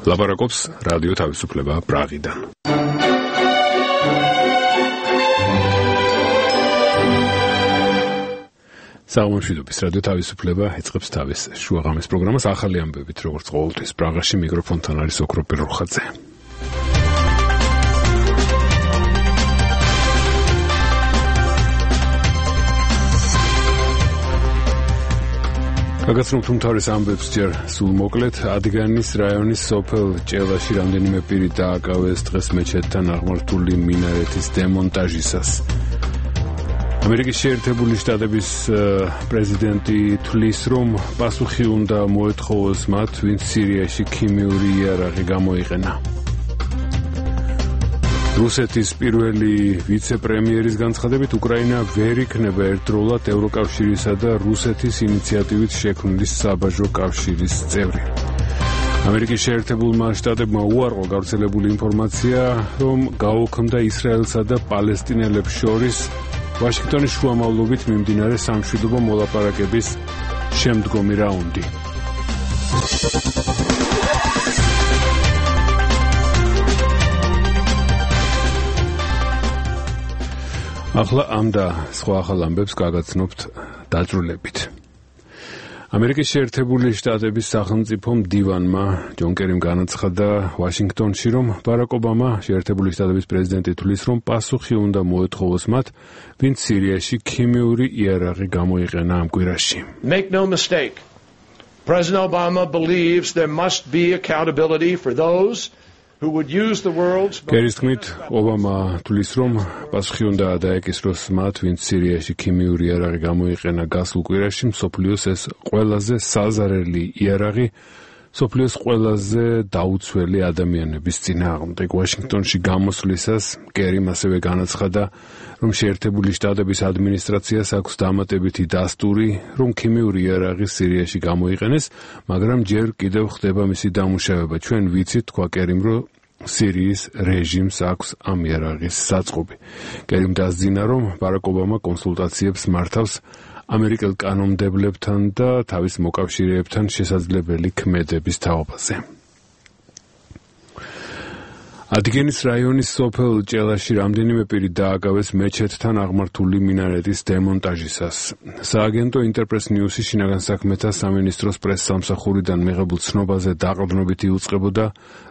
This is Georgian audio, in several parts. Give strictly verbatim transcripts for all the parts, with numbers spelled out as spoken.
ლაპარაკობს რადიო თავისუფლება პრაღიდან. საუბრობთ რადიო თავისუფლება ეწყებს თავის შუაღამის პროგრამას ახალი ამბებით, როგორც ყოველთვის პრაღაში მიკროფონთან არის ოქრო პიროხაძე. გაგაცნობთ უმთავრეს ამბებს ჯერ სულ მოკლედ. ადიგანის რაიონის სოფელ ჭელაში რამდენიმე პირი დააკავეს დღეს მეჩეთთან აღმართული მინარეთის დემონტაჟისას. ამერიკის შეერთებული შტატების პრეზიდენტი თვლის, რომ პასუხი უნდა მოეთხოვოს მათ, ვინც სირიაში ქიმიური იარაღი გამოიყენა. რუსეთის პირველი ვიცე-პრემიერის განცხადებით, უკრაინა ვერ იქნება ერთდროულად ევროკავშირისა და რუსეთის ინიციატივით შექმნილი საბაჟო კავშირის წევრი. ამერიკის შეერთებულმა შტატებმა უარყო გავრცელებული ინფორმაცია, რომ გაუქმდა ისრაელსა და პალესტინელებს შორის ვაშინგტონის შუამავლობით მიმდინარე სამშვიდობო მოლაპარაკების შემდგომი რაუნდი. ახლა ამ და სხვა ახალ ამბებს გაგაცნობთ დაწვრილებით. ამერიკის შეერთებული შტატების სახელმწიფო მდივანმა ჯონ კერიმ განაცხადა ვაშინგტონში, რომ ბარაკ ობამა, შეერთებული შტატების პრეზიდენტი, თვლის, რომ პასუხი უნდა მოეთხოვოს მათ, ვინც სირიაში ქიმიური იარაღი გამოიყენა ამ კვირაში. Make no mistake. President Obama believes there must be accountability for those who would use the world's კერის თქმით, ობამა თვლის, რომ პასუხი უნდა დაეკისროს მათ, ვინც სირიაში ქიმიური იარაღი გამოიყენა გასულ კვირაში, მსოფლიოს ეს ყველაზე საზარელი იარაღი, მსოფლიოს ყველაზე დაუცველი ადამიანების წინააღმდეგ. ვაშინგტონში გამოსვლისას კერიმ ასევე განაცხადა, რომ შეერთებული შტატების ადმინისტრაციას აქვს დამატებითი დასტური, რომ ქიმიური იარაღი სირიაში გამოიყენეს, მაგრამ ჯერ კიდევ ხდება მისი დამუშავება. ჩვენ ვიცით, თქვა კერიმ, რომ სირიის რეჟიმს აქვს ამ იარაღის საწყობი. კერიმ დასძინა, რომ ბარაკ ობამა კონსულტაციებს მართავს ამერიკელ კანონმდებლებთან და თავის მოკავშირეებთან შესაძლებელი ქმედების თაობაზე. ადიგენის რაიონის სოფელ ჭელაში რამდენიმე პირი დააკავეს მეჩეთთან აღმართული მინარეთის დემონტაჟისას. სააგენტო ინტერპრეს ნიუსი შინაგან საქმეთა სამინისტროს პრესსამსახურიდან მიღებულ ცნობაზე დაყრდნობით იუწყებოდა,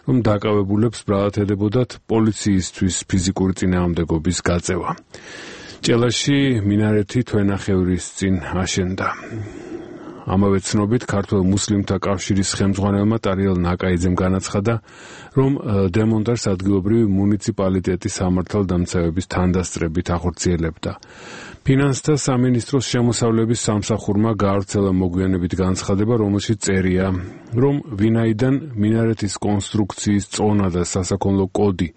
რომ დაკავებულებს ბრალად ედებოდათ პოლიციისთვის ფიზიკური წინააღმდეგობის გაწევა. ჭელაში მინარეთი თვენახევრის წინ აშენდა. ამავე ცნობით, ქართველ მუსლიმთა კავშირის ხელმძღვანელმა ტარიელ ნაკაიძემ განაცხადა, რომ დემონტაჟს ადგილობრივი მუნიციპალიტეტის სამართალდამცავების თანდასწრებით ახორციელებდა. ფინანსთა სამინისტროს შემოსავლების სამსახურმა გაავრცელა მოგვიანებით განცხადება, რომელშიც წერია, რომ ვინაიდან მინარეთის კონსტრუქციის წონა და სასაქონლო კოდი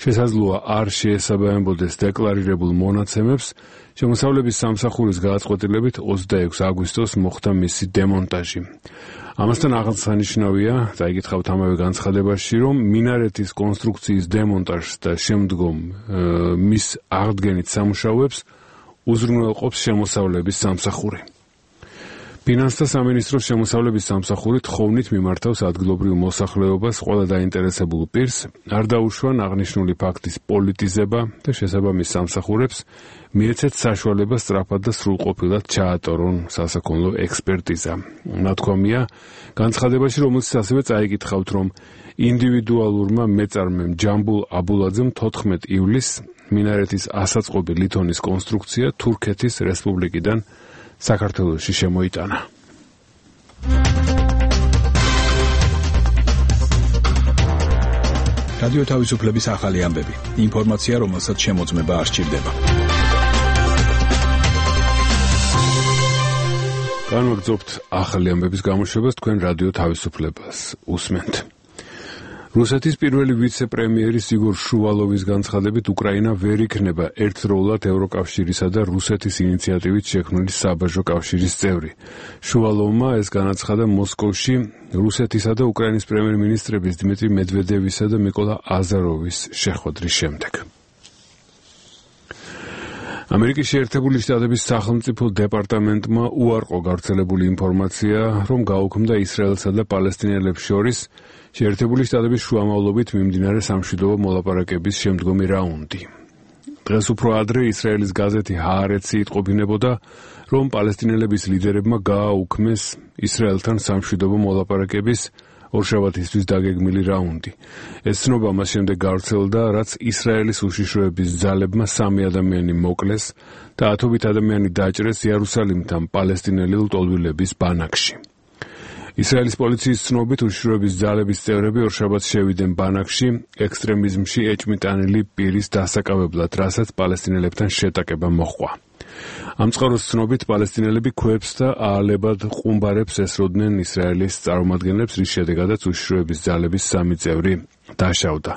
შესაძლოა არ შეესაბამებოდეს დეკლარირებულ მონაცემებს, შემოსავლების სამსახურის გადაწყვეტილებით ოცდაექვსი აგვისტოს მოხდა მისი დემონტაჟი. ამასთან აღსანიშნავია, წაიკითხავთ ამავე განცხადებაში, რომ მინარეთის კონსტრუქციის დემონტაჟს და შემდგომ მის აღდგენით სამუშაოებს უზრუნველყოფს შემოსავლების სამსახური. ფინანსთა სამინისტროს შემოსავლების სამსახური თხოვნით მიმართავს ადგილობრივ მოსახლეობას, ყველა დაინტერესებულ პირს, არ დაუშვან აღნიშნული ფაქტის პოლიტიზება და შესაბამის სამსახურებს მიეცეთ საშუალება სწრაფად და სრულყოფილად ჩაატორონ სასაქონლო ექსპერტიზა. ნათქვამია განცხადებაში, რომელსაც ასევე წაიკითხავთ, რომ ინდივიდუალურმა მეწარმემ ჯამბულ აბულაძემ თოთხმეტ ივლისს მინარეთის ასაწყობი ლითონის კონსტრუქცია თურქეთის რესპუბლიკიდან საქართველოში შემოიტანა. რადიო თავისუფლების ახალი ამბები. ინფორმაცია, რომელსაც შემოწმება არ სჭირდება. განვაგრძობთ ახალი ამბების გამოშვებას, თქვენ რადიო თავისუფლებას უსმენთ. რუსეთის პირველი ვიცე-პრემიერის იგორ შუვალოვის განცხადებით, უკრაინა ვერ იქნება ერთდროულად ევროკავშირისა და რუსეთის ინიციატივით შექმნილი საბაჟო კავშირის წევრი. შუვალოვმა ეს განაცხადა მოსკოვში რუსეთისა და უკრაინის პრემიერ-მინისტრების დმიტრი მედვედევისა და მიკოლა აზაროვის შეხვედრის შემდეგ. ამერიკის შეერთებული შტატების სახელმწიფო დეპარტამენტმა უარყო გავრცელებული ინფორმაცია, რომ გაუქმდა ისრაელსა და პალესტინელებს შორის შეერთებული შტატების შუამავლობით მიმდინარე სამშვიდობო მოლაპარაკების შემდგომი რაუნდი. დღეს უფრო ადრე ისრაელის გაზეთი ჰაარეცი იტყობინებოდა, რომ პალესტინელების ლიდერებმა გააუქმეს ისრაელთან სამშვიდობო მოლაპარაკების ორშაბათისთვის დაგეგმილი რაუნდი. ეს ცნობა მას შემდეგ გავრცელდა, რაც ისრაელის უშიშროების ძალებმა სამი ადამიანი მოკლეს და ათობით ადამიანი დაჭრეს იერუსალიმთან პალესტინელი ლტოლვილების ბანაკში. ისრაელის პოლიციის ცნობით უშიშროების ძალების წევრები ორშაბათს შევიდნენ ბანაკში ექსტრემიზმში ეჭმიტანილი პირის დასაკავებლად, რასაც პალესტინელებთან შეტაკება მოჰყვა. ამ წყაროს ცნობით პალესტინელები ქვებს და აალებად ყუმბარებს ესროდნენ ისრაელის წარმომადგენლებს, რის შედეგადაც უშიშროების ძალების სამი წევრი დაშავდა.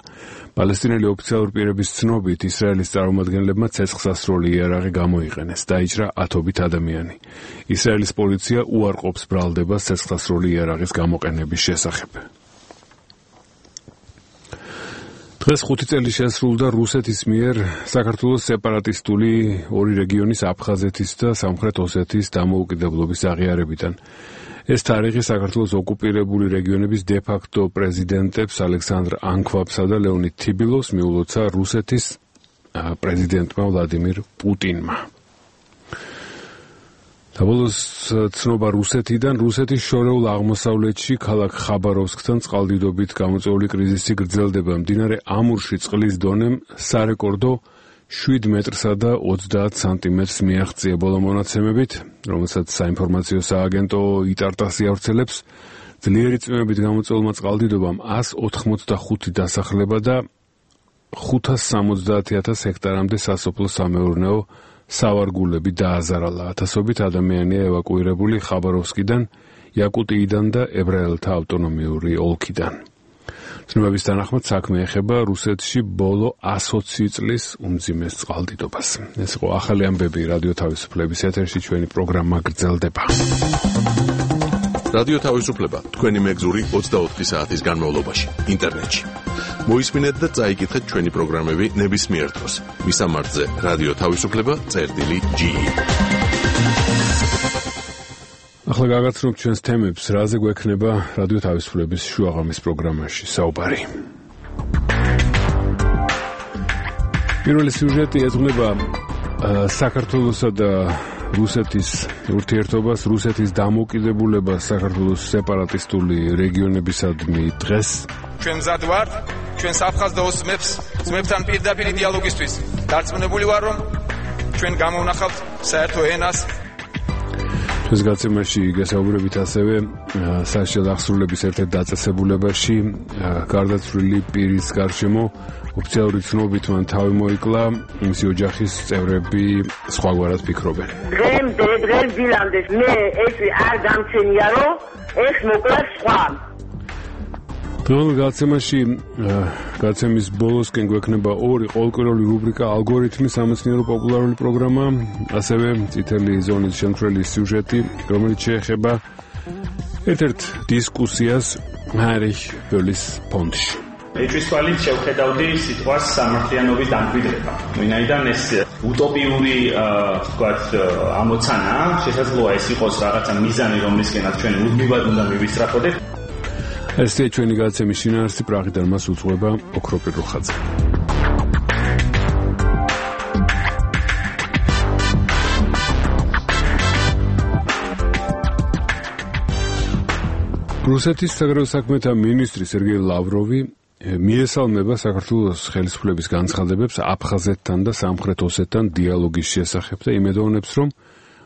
პალესტინელი ოფიციალური პირების ცნობით ისრაელის წარმომადგენლებმა ცეცხლსასროლი იარაღი გამოიყენეს, დაიჭრა ათობით ადამიანი. ისრაელის პოლიცია უარყოფს ბრალდებას ცეცხლსასროლი იარაღის გამოყენების შესახებ. დღეს ხუთი წელი შესრულდა რუსეთის მიერ საქართველოს სეპარატისტული ორი რეგიონის აფხაზეთის და სამხრეთ ოსეთის დამოუკიდებლობის აღიარებიდან. ეს თარიღი საქართველოს ოკუპირებული რეგიონების დე-ფაქტო პრეზიდენტებს ალექსანდრ ანქვაბსა და ლეონიდ თიბილოვს მიულოცა რუსეთის პრეზიდენტმა ვლადიმირ პუტინმა. საბოლოოს ცნობა რუსეთიდან, რუსეთის შორეულ აღმოსავლეთში ქალაქ ხაბაროვსკთან წყალდიდობით გამოწვეული კრიზისი გრძელდება. მდინარე ამურში წყლის დონემ სარეკორდო შვიდ მეტრსა და ოცდაათ სანტიმეტრს მიაღწია ბოლო მონაცემებით, რომელსაც საინფორმაციო სააგენტო იტარტასი ავრცელებს. ძლიერი წვიმებით გამოწვეულმა წყალდიდობამ ას ოთხმოცდახუთი დასახლება და ხუთას სამოცდაათი ათას ჰექტარამდე სასოფლო-სამეურნეო სავარგულები დააზარალა. ათასობით ადამიანია ევაკუირებული ხაბაროვსკიდან, იაკუტიიდან და ებრაელთა ავტონომიური ოლქიდან. ცნობების თანახმად საქმე ეხება რუსეთში ბოლო ათი წლის უმძიმეს წყალდიდობას. ეს იყო ახალი ამბები რადიო თავისუფლების ეთერში, ჩვენი პროგრამა გრძელდება. რადიო თავისუფლება თქვენი მეგზური ოცდაოთხი საათის განმავლობაში ინტერნეტში. მოისმინეთ და წაიკითხეთ ჩვენი პროგრამები ნებისმიერ დროს. მისამართზე რადიო თავისუფლება წერტილი ჯი. ახლა გაგაცნობთ ჩვენს თემებს, რაზე გვექნება რადიო თავისუფლების შუაღამის პროგრამაში საუბარი. პირველი სიუჟეტი ეძღვნება საქართველოსა და რუსეთის ურთიერთობას, რუსეთის დამოუკიდებულებას საქართველოს სეპარატისტული რეგიონებისადმი დღეს. ჩვენ მზად ვართ, ჩვენს აფხაზ და ოსმებს, ძმებთან პირდაპირ დიალოგისთვის. დარწმუნებული ვარ, რომ ჩვენ გამოვნახავთ საერთო ენას. ჩვენს გაცემაში გასაუბრებით ასევე საშიალო აღსრულების ერთ-ერთ დაწესებულებაში გარდაცვლილი პირის გარშემო ოფიციალური ცნობით მან თავი მოიკლა, მისი ოჯახის წევრები სხვაგვარად ფიქრობენ. დღემდე დღეს დილამდე მე ეს არ გამჩენია, რომ ეს მოკლა სხვა. დღევანდელ გაცემაში გაცემის ბოლოსკენ გვექნება ორი ყოველკვირეული რუბრიკა ალგორითმი, სამეცნიერო პოპულარული პროგრამა, ასევე წითელი ზონის შემცვლელი სიუჟეტი, რომელიც შეეხება ერთ-ერთ დისკუსიას ჰაინრიხ ბოლის ფონდში. ეჭვის თვალით შევხედავდი სიტყვას სამართლიანობის დამკვიდრება. ვინაიდან ეს უტოპიური ვთქვათ ამოცანა, შესაძლოა ეს იყოს რაღაცა მიზანი, რომლისკენაც ჩვენ უდმივად უნდა მივისწრაფოდეთ. ესეა ჩვენი გაცემის შინაარსი, პრაღიდან მას უძღვება ოქროპირ რუხაძე. რუსეთის საგარეო საქმეთა მინისტრი სერგეი ლავროვი მიესალმება საქართველოს ხელისუფლების განცხადებებს აფხაზეთთან და სამხრეთ ოსეთთან დიალოგის შესახებ და იმედოვნებს, რომ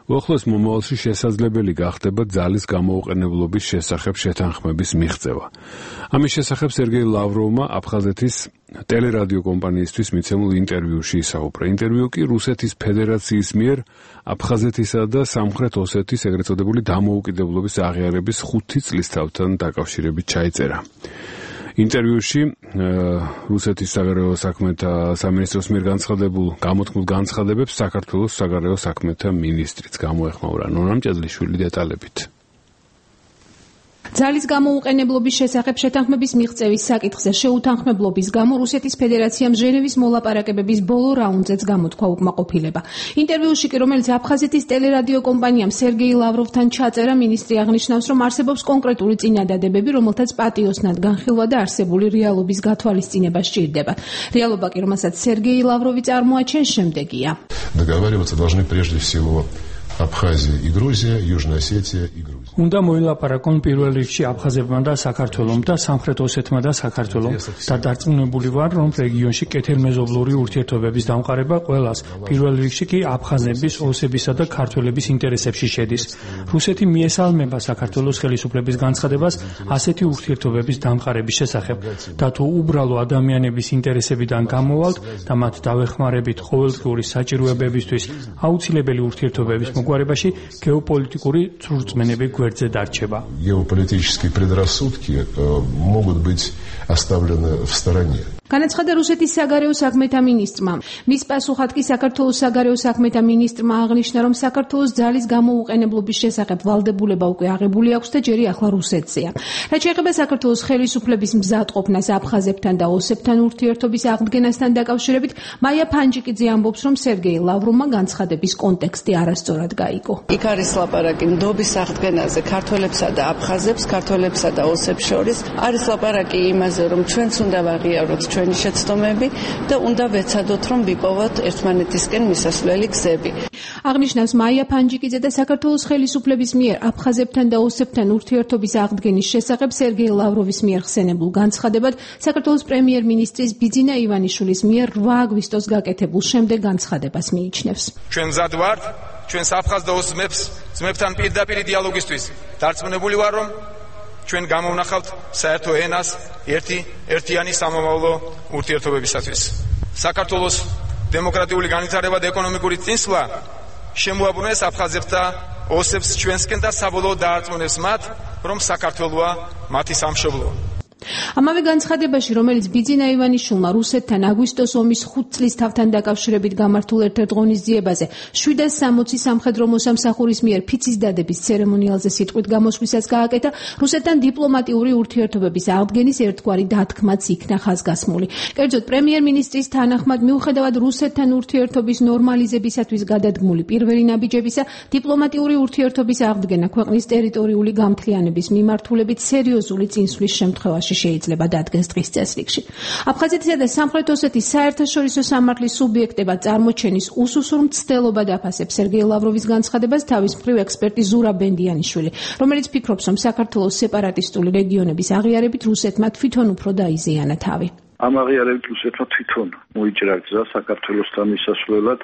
უახლოეს მომავალში შესაძლებელი გახდება ძალის გამოუყენებლობის შესახებ შეთანხმების მიღწევა. ამის შესახებ სერგეი ლავროვმა აფხაზეთის ტელერადიო კომპანიისთვის მიცემულ ინტერვიუში ისაუბრა. ინტერვიუ კი რუსეთის ფედერაციის მიერ აფხაზეთისა და სამხრეთ ოსეთის ეგრეთ წოდებული დამოუკიდებლობის აღიარების ხუთი წლისთავთან დაკავშირებით ჩაიწერა. ინტერვიუში რუსეთის საგარეო საქმეთა სამინისტროს მიერ განცხადებულ გამოთქმულ განცხადებებს საქართველოს საგარეო საქმეთა მინისტრიც გამოეხმაურა. ნონა მჭედლიშვილი დეტალებით. ძალის გამოუყენებლობის შესახებ შეთანხმების მიღწევის საკითხზე შეუთანხმებლობის გამო რუსეთის ფედერაციამ ჟენევის მოლაპარაკებების ბოლო რაუნდზეც გამოთქვა უკმაყოფილება. ინტერვიუში კი, რომელიც აფხაზეთის ტელერადიო კომპანიამ სერგეი ლავროვთან ჩაწერა, მინისტრი აღნიშნავს, რომ არსებობს კონკრეტული წინადადებები, რომელთაც პატიოსნად განხილვა და არსებული რეალობის გათვალისწინება სჭირდება. რეალობა კი, რომელსაც სერგეი ლავროვი წარმოაჩენს, შემდეგია. Договариваться должны прежде всего Абхазия и Грузия, Южная Осетия и Грузия. უნდა მოილაპარაკონ პირველ რიგში აფხაზებმა და საქართველომ და სამხრეთ ოსეთმა და საქართველომ და დარწმუნებული ვარ, რომ რეგიონში კეთილმეზობლური ურთიერთობების დამყარება ყველას, პირველ რიგში კი აფხაზების, ოსებისა და ქართველების ინტერესებში შედის. რუსეთი მიესალმება საქართველოს ხელისუფლების განცხადებას ასეთი ურთიერთობების დამყარების შესახებ და თუ უბრალო ადამიანების ინტერესებიდან გამოვალთ და მათ დავეხმარებით ყოველდღიური საჭიროებებისთვის აუცილებელი ურთიერთობების მოგვარებაში გეოპოლიტიკური ცრურწმენები გვერდზე დარჩება. Геополитические предрассудки могут быть оставлены в стороне. განაცხადა რუსეთის საგარეო საქმეთა მინისტრმა. მის პასუხად კი საქართველოს საგარეო საქმეთა მინისტრმა აღნიშნა, რომ საქართველოს ძალის გამოუყენებლობის შესახებ ვალდებულება უკვე აღებული აქვს და ჯერი ახლა რუსეთზეა. რაც შეეხება საქართველოს ხელისუფლების მზადყოფნას აფხაზებთან და ოსებთან ურთიერთობის აღდგენასთან დაკავშირებით, მაია ფანჯიკიძე ამბობს, რომ სერგეი ლავროვმა განცხადების კონტექსტი არასწორად გაიგო. იქ არის ლაპარაკი ნდობის აღდგენაზე ქართველებსა და აფხაზებს, ქართველებსა და ოსებს შორის. არის ლაპარაკი იმაზე, რომ ჩვენც უნდა ვაღიაროთ ჩვენი შეცდომები და უნდა ვეცადოთ, რომ ვიპოვოთ ერთმანეთისკენ მისასვლელი გზები. აღნიშნავს მაია ფანჯიკიძე და საქართველოს ხელისუფლების მიერ აფხაზებთან და ოსებთან ურთიერთობის აღდგენის შესახებ სერგეი ლავროვის მიერ ხსენებულ განცხადებად საქართველოს პრემიერ-მინისტრის ბიძინა ივანიშვილის მიერ რვა აგვისტოს გაკეთებულ შემდეგ განცხადებას მიიჩნევს. ჩვენ მზად ვართ ჩვენს აფხაზ და ოს ძმებს ძმებთან პირდაპირ დიალოგისთვის. დარწმუნებული ვარ, რომ ჩვენ გამოვნახავთ საერთო ენას ერთი ერთიანი სამომავლო ურთიერთობებისათვის. საქართველოს დემოკრატიული განვითარება და ეკონომიკური წინსვლა შემოაბრუნეს აფხაზებს და ოსებს ჩვენსკენ და საბოლოოდ დაარწმუნებს მათ, რომ საქართველოა მათი სამშობლო. ამავე განცხადებაში, რომელიც ბიძინა ივანიშვილმა რუსეთთან აგვისტოს ომის ხუთ წლის თავთან დაკავშირებით გამართულ ერთ-ერთ ღონისძიებაზე შვიდას სამოცი სამხედრო მოსამსახურის მიერ ფიცის დადების ცერემონიალზე სიტყვით გამოსვლისას გააკეთა, რუსეთთან დიპლომატიური ურთიერთობების აღდგენის ერთგვარი დათქმაც იქნა ხაზგასმული. კერძოდ, პრემიერ-მინისტრის თანახმად, მიუხედავად რუსეთთან ურთიერთობის ნორმალიზებისათვის გადადგმული პირველი ნაბიჯებისა, დიპლომატიური ურთიერთობის აღდგენა ქვეყნის ტერიტორიული გამთლიანების მიმართულებით სერიოზული წინსვლის შემთხვევაში შეიძლება დადგეს დღის წესრიგში. აფხაზეთისა და სამხრეთ ოსეთის საერთაშორისო სამართლის სუბიექტებად წარმოჩენის უსუსურ მცდელობად აფასებს სერგეი ლავროვის განცხადებას თავის მხრივ ექსპერტი ზურაბ ბენდიანიშვილი, რომელიც ფიქრობს, რომ საქართველოს სეპარატისტული რეგიონების აღიარებით რუსეთმა თვითონ უფრო დაიზიანა თავი. ამ აღიარებით რუსეთმა თვითონ მოიჭრა გზა საქართველოსთან მისასვლელად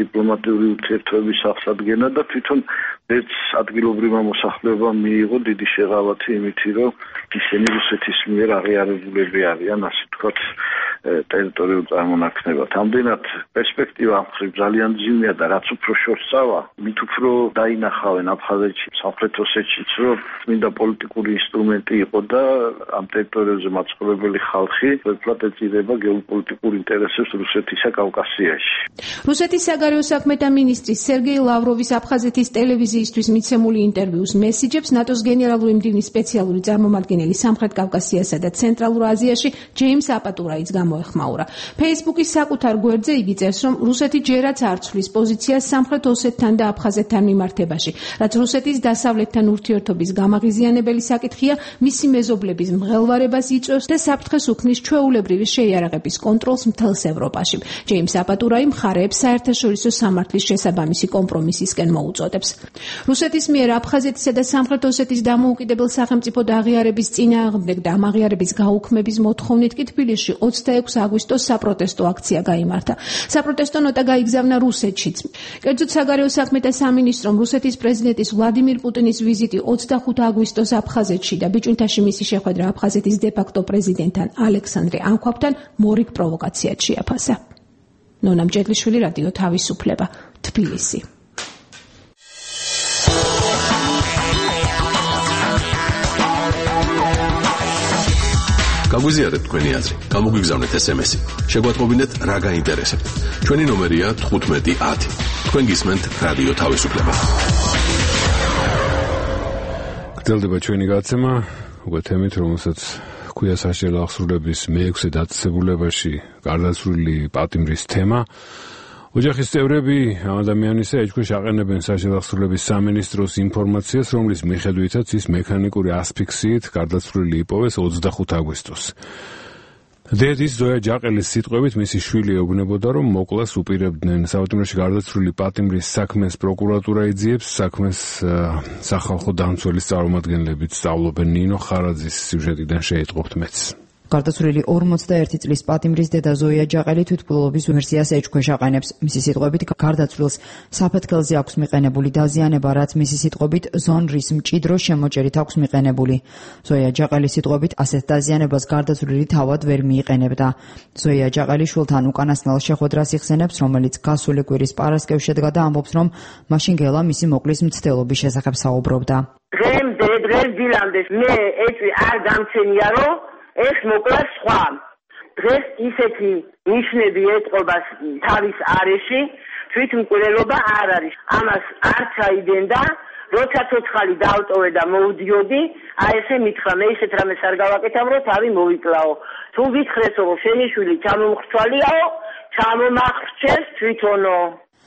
დიპლომატიური ურთიერთობების აღსადგენა და თვითონ ერთ ადგილობრივმა მოსახლეობამ მიიღო დიდი შეღავათი იმითი, რომ ისინი რუსეთის მიერ აღიარებულები არიან, ასე ვთქვათ, ტერიტორიულ წარმონაქმნებად. ამდენად პერსპექტივა ამ მხრივ ძალიან მძიმეა და რაც უფრო შორსავა, მით უფრო დაინახავენ აფხაზეთში, სამხრეთ ოსეთშიც, რომ წმინდა პოლიტიკური ინსტრუმენტი იყო და ამ ტერიტორიებზე მაცხოვრებელი ხალხი ვერაფრად ეწირება გეოპოლიტიკურ ინტერესებს რუსეთისა კავკასიაში. რუსეთის საგარეო საქმეთა მინისტრის სერგეი ლავროვის აფხაზეთის ტელევიზიისთვის მიცემული ინტერვიუს მესიჯებს ნატოს გენერალური მდივნის სპეციალური წარმომადგენელი სამხრეთ კავკასიასა და ცენტრალურ აზიაში ჯეიმს აპატურაიც გამოეხმაურა. ფეისბუქის საკუთარ გვერდზე იგი წერს, რომ რუსეთი ჯერაც არ ცვლის პოზიციას სამხრეთ ოსეთთან და აფხაზეთთან მიმართებაში, რაც რუსეთის დასავლეთთან ურთიერთობის გამაღიზიანებელი საკითხია, მისი მეზობლების მღელვარებას იწვევს და საფრთხეს უქმნის ჩვეულებრივი შეიარაღების კონტროლს მთელს ევროპაში. ჯეიმს აპატურაი მხარეებს საერთაშორისო სამართლის შესაბამისი კომპრომისისკენ მოუწოდებს. რუსეთის მიერ აფხაზეთისა და სამხრეთ ოსეთის დამოუკიდებელ სახელმწიფოდ აღიარების წინააღმდეგ და ამ აღიარების გაუქმების მოთხოვნით კი თბილისში ოცდაექვსი აგვისტოს საპროტესტო აქცია გაიმართა. საპროტესტო ნოტა გაიგზავნა რუსეთშიც. კერძოდ, საგარეო საქმეთა სამინისტრომ რუსეთის პრეზიდენტის ვლადიმირ პუტინის ვიზიტი ოცდახუთი აგვისტოს აფხაზეთში და ბიჭუნთაში მისი შეხვედრა აფხაზეთის დე-ფაქტო პრეზიდენტთან ალექსანდრე ანქვაბთან მორიგ პროვოკაციად შეაფასა. ნონა მჭედლიშვილი, რადიო თავისუფლება, თბილისი. გაგვიზიარეთ თქვენი აზრი, გამოგვიგზავნეთ ეს ემ ესი. შეგვატყობინეთ რა გაინტერესებთ. ჩვენი ნომერია თხუთმეტი ათი. თქვენ გისმენთ რადიო თავისუფლება. გრძელდება ჩვენი გადაცემა, უკვე თემით, რომელსაც ქვია საშიაო აღსრულების მეექვსე დაწესებულებაში გარდაცვლილი პატიმრის თემა. ოჯახის წევრები ამ ადამიანისა ეჭქვეშ აყენებენ საშიაო აღსრულების სამინისტროს ინფორმაციას, რომლის მიხედვითაც ის მექანიკური ასფიქსიით გარდაცვლილი იპოვეს ოცდახუთი აგვისტოს. დედის ზოია ჯაყელის სიტყვებით მისი შვილი ეუბნებოდა, რომ მოკლას უპირებდნენ. საავადმყოფოში გარდაცვლილი პატიმრის საქმეს პროკურატურა იძიებს, საქმეს სახალხო დამცველის წარმომადგენლებით სწავლობენ. ნინო ხარაძის სიუჟეტიდან შეიტყობთ მეც. გარდაცვლილი ორმოცდაერთი წლის პატიმრის დედა ზოია ჯაყელი თვითმკვლელობის ვერსიას ეჭქვეშ აყენებს. მისი სიტყვებით გარდაცვლილს საფეთქელზე აქვს მიყენებული დაზიანება, რაც მისი სიტყვებით ზონრის მჭიდრო შემოჭერით აქვს მიყენებული. ზოია ჯაყელის სიტყვებით ასეთ დაზიანებას გარდაცვლილი თავად ვერ მიიყენებდა. ზოია ჯაყელი შვილთან უკანასკნელ შეხვედრას იხსენებს, რომელიც გასული კვირის პარასკევს შედგა და ამბობს, რომ მაშინ გელა მისი მოკლის მცდელობის შესახებ საუბრობდა. დღემდე დღეს დილამდე მე ეჭვი არ გამცენია, რომ ეს მოკლა სხვა. დღეს ისეთი ნიშნები ეტყობას თავის არეში, თვითმკვლელობა არ არის. ამას არ ჩაიდენდა, როცა ცოცხალი დავტოვე და მოვდიოდი, აი ესე მითხრა, მე ისეთ რამეს არ გავაკეთებ, რომ თავი მოვიკლაო. თუ გითხრესო, რომ შენი შვილი ჩამომხრჩვალიაო, ჩამომახრჩეს თვითონო.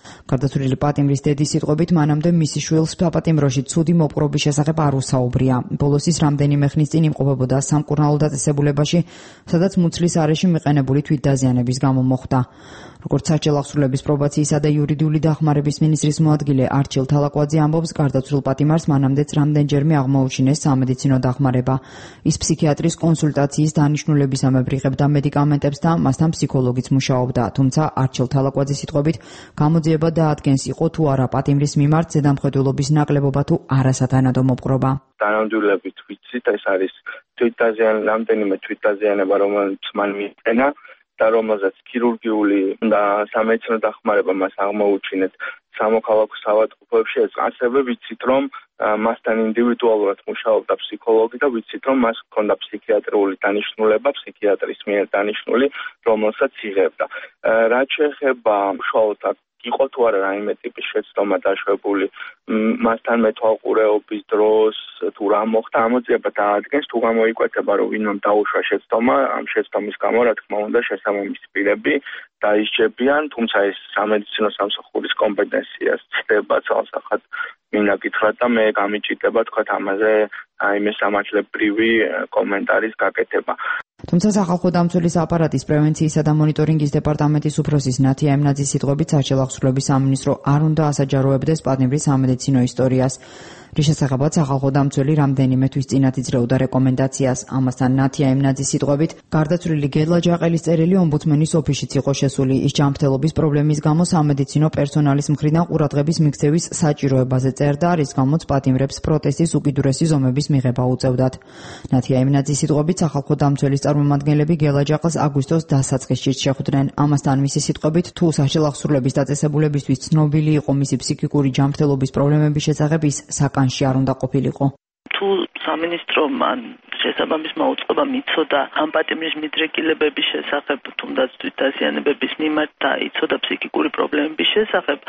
გარდაცვლილი პატიმრის დედის სიტყვებით მანამდე მისი შვილს საპატიმროში ცუდი მოპყრობის შესახებ არ უსაუბრია. ბოლოს ის რამდენიმე ხნის წინ იმყოფებოდა სამკურნალო დაწესებულებაში, სადაც მუცლის არეში მიყენებული თვითდაზიანების გამო მოხვდა. როგორც საშიაო აღსრულების პრობაციისა და იურიდიული დახმარების მინისტრის მოადგილე არჩილ თალაკვაძე ამბობს, გარდაცვლილ პატიმარს მანამდეც რამდენჯერმე აღმოუჩინეს სამედიცინო დახმარება. ის ფსიქიატრის კონსულტაციის დანიშნულებისამებრ იღებდა მედიკამენტებს და მასთან ფსიქოლოგიც მუშაობდა, თუმცა არჩილ თალაკვაძის სიტყვებით გამოძიება დაადგენს იყო თუ არა პატიმრის მიმართ ზედამხედველობის ნაკლებობა თუ არასათანადო მოპყრობა. თანამდებობებით ვიცით, ეს არის თვითდაზიანება, რამდენიმე თვითდაზიანება, რომელიც მან მიიყენა და რომელზეც ქირურგიული და სამედიცინო დახმარება მას აღმოუჩინეთ სამოქალაქო საავადმყოფოებში. ასევე ვიცით, რომ მასთან ინდივიდუალურად მუშაობდა ფსიქოლოგი და ვიცით, რომ მას ჰქონდა ფსიქიატრიული დანიშნულება, ფსიქიატრის მიერ დანიშნული, რომელსაც იღებდა. რაც შეეხება უშუალოდ იყო თუ არა რაიმე ტიპის შეცდომა დაშვებული მასთან მეთვალყურეობის დროს, თუ რა მოხდა, ამოძიება დაადგენს, თუ გამოიკვეთება, რომ ვინმე დაუშვა შეცდომა, ამ შეცდომის გამო, რა თქმა უნდა, შესაბამისი პირები დაისჯებიან, თუმცა ეს სამედიცინო სამსახურის კომპეტენციას ცდება ცალსახად მინაკითხრა და მე გამიჭირდება თქვა ამაზე აი მესამართლებრივი კომენტარის გაკეთება. თუმცა სახალხო დამცველის აპარატის პრევენციისა და მონიტორინგის დეპარტამენტის უფროსის ნათია ემნაძის სიტყვებით საშიაო აღსრულების სამინისტრო არ უნდა ასაჯაროებდეს პატიმრის სამედიცინო ისტორიას. რის შესახებაც სახალხო დამცველი რამდენიმე თვის წინათ იძლეოდა რეკომენდაციას. ამასთან ნათია ემნაძის სიტყვებით გარდაცვლილი გელა ჯაყელის წერილი ომბუდსმენის ოფისშიც იყო შესული. ის ჯანმრთელობის პრობლემის გამო სამედიცინო პერსონალის მხრიდან ყურადღების მიქცევის საჭიროებაზე წერდა, რის გამოც პატიმრებს პროტესტის უკიდურესი ზომების მიღება უწევდათ. ნათია ემნაძის სიტყვებით სახალხო დამცველის წარმომადგენლები გელა ჯაყელს აგვისტოს დასაწყისში შეხვდნენ. ამასთან მისი სიტყვებით თუ საშიაო აღსრულების დაწესებულებისთვის ცნობილი იყო მისი ფსიქიკური ჯანმრთელობის პრობლემების შესახებ ის საკანში არ უნდა ყოფილიყო. თუ სამინისტრომ ან შესაბამის მოუწყება მიცოდა ამ პატიმრის მიდრეკილებების შესახებ, თუნდაც თვითდაზიანებების მიმართ და იცოდა ფსიქიკური პრობლემების შესახებ,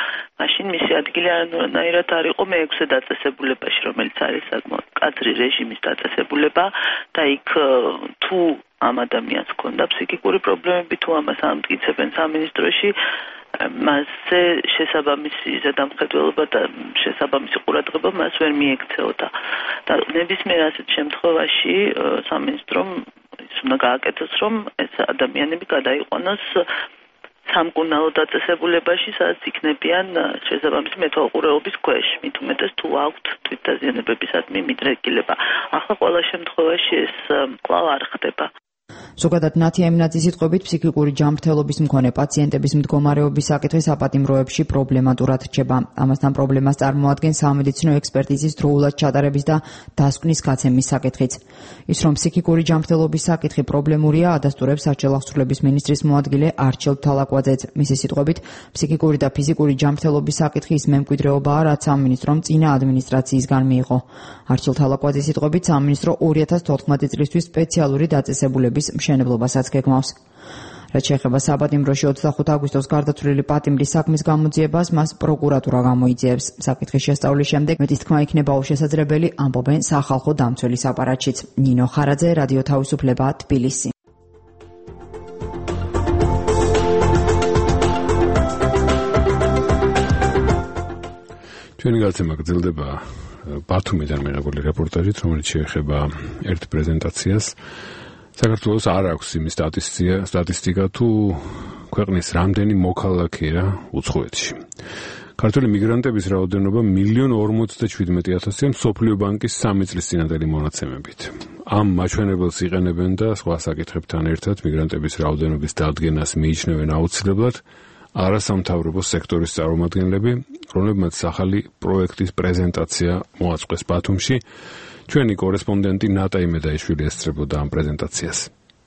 მაშინ მისი ადგილი არანაირად არ იყო მეექვსე დაწესებულებაში, რომელიც არის საკმაოდ მკაცრი რეჟიმის დაწესებულება და იქ თუ ამ ადამიანს ჰქონდა ფსიქიკური პრობლემები, თუ ამას ამტკიცებენ სამინისტროში, მასზე შესაბამისი ზედამხედველობა და შესაბამისი ყურადღება მას ვერ მიექცეოდა. და ნებისმიერ ასეთ შემთხვევაში სამინისტრომ ის უნდა გააკეთოს, რომ ეს ადამიანები გადაიყვანოს სამკურნალო დაწესებულებაში, სადაც იქნებიან შესაბამისი მეთვალყურეობის ქვეშ, მით უმეტეს თუ აქვთ თვითდაზიანებებისადმი მიდრეკილება. ახლა ყველა შემთხვევაში ეს კვლავ არ ხდება. ზოგადად ნათია ემნაძის სიტყვებით ფსიქიკური ჯანმრთელობის მქონე პაციენტების მდგომარეობის საკითხი საპატიმროებში პრობლემატურად რჩება. ამასთან პრობლემას წარმოადგენს სამედიცინო ექსპერტიზის დროულად ჩატარების და დასკვნის გაცემის საკითხიც. ის რომ ფსიქიკური ჯანმრთელობის საკითხი პრობლემურია, ადასტურებს საშიაო აღსრულების მინისტრის მოადგილე არჩილ თალაკვაძეც. მისი სიტყვებით ფსიქიკური და ფიზიკური ჯანმრთელობის საკითხი ის მემკვიდრეობაა, რაც სამინისტრომ წინა ადმინისტრაციისგან მიიღო. არჩილ თალაკვაძის სიტყვებით სამინისტრო ორი ათას თოთხმეტი წლისთვის სპეციალური დაწესებულების მშენებლობასაც გეგმავს. რაც შეეხება საპატიმროში ოცდახუთი აგვისტოს გარდაცვლილი პატიმრის საქმის გამოძიებას, მას პროკურატურა გამოიძიებს. საკითხის შესწავლის შემდეგ მეტის თქმა იქნება უშესაძლებელი, ამბობენ სახალხო დამცველის აპარატშიც. ნინო ხარაძე, რადიო თავისუფლება, თბილისი. ჩვენი გაცემა გრძელდება ბათუმიდან მიღებული რეპორტაჟით, რომელიც შეეხება ერთ პრეზენტაციას. საქართველოს არ აქვს იმის სტატისტიკა, თუ ქვეყნის რამდენი მოქალაქეა უცხოეთში. ქართული მიგრანტების რაოდენობა მილიონ ორმოცდაშვიდმეტი ათასია მსოფლიო ბანკის სამი წლის წინანდელი მონაცემებით. ამ მაჩვენებელს იყენებენ და სხვა საკითხებთან ერთად მიგრანტების რაოდენობის დადგენას მიიჩნევენ აუცილებლად არასამთავრობო სექტორის წარმომადგენლები, რომლებმაც ახალი პროექტის პრეზენტაცია მოაწყვეს ბათუმში. ჩვენი კორესპონდენტი ნატა იმედაიშვილი ესწრებოდა ამ პრეზენტაციას.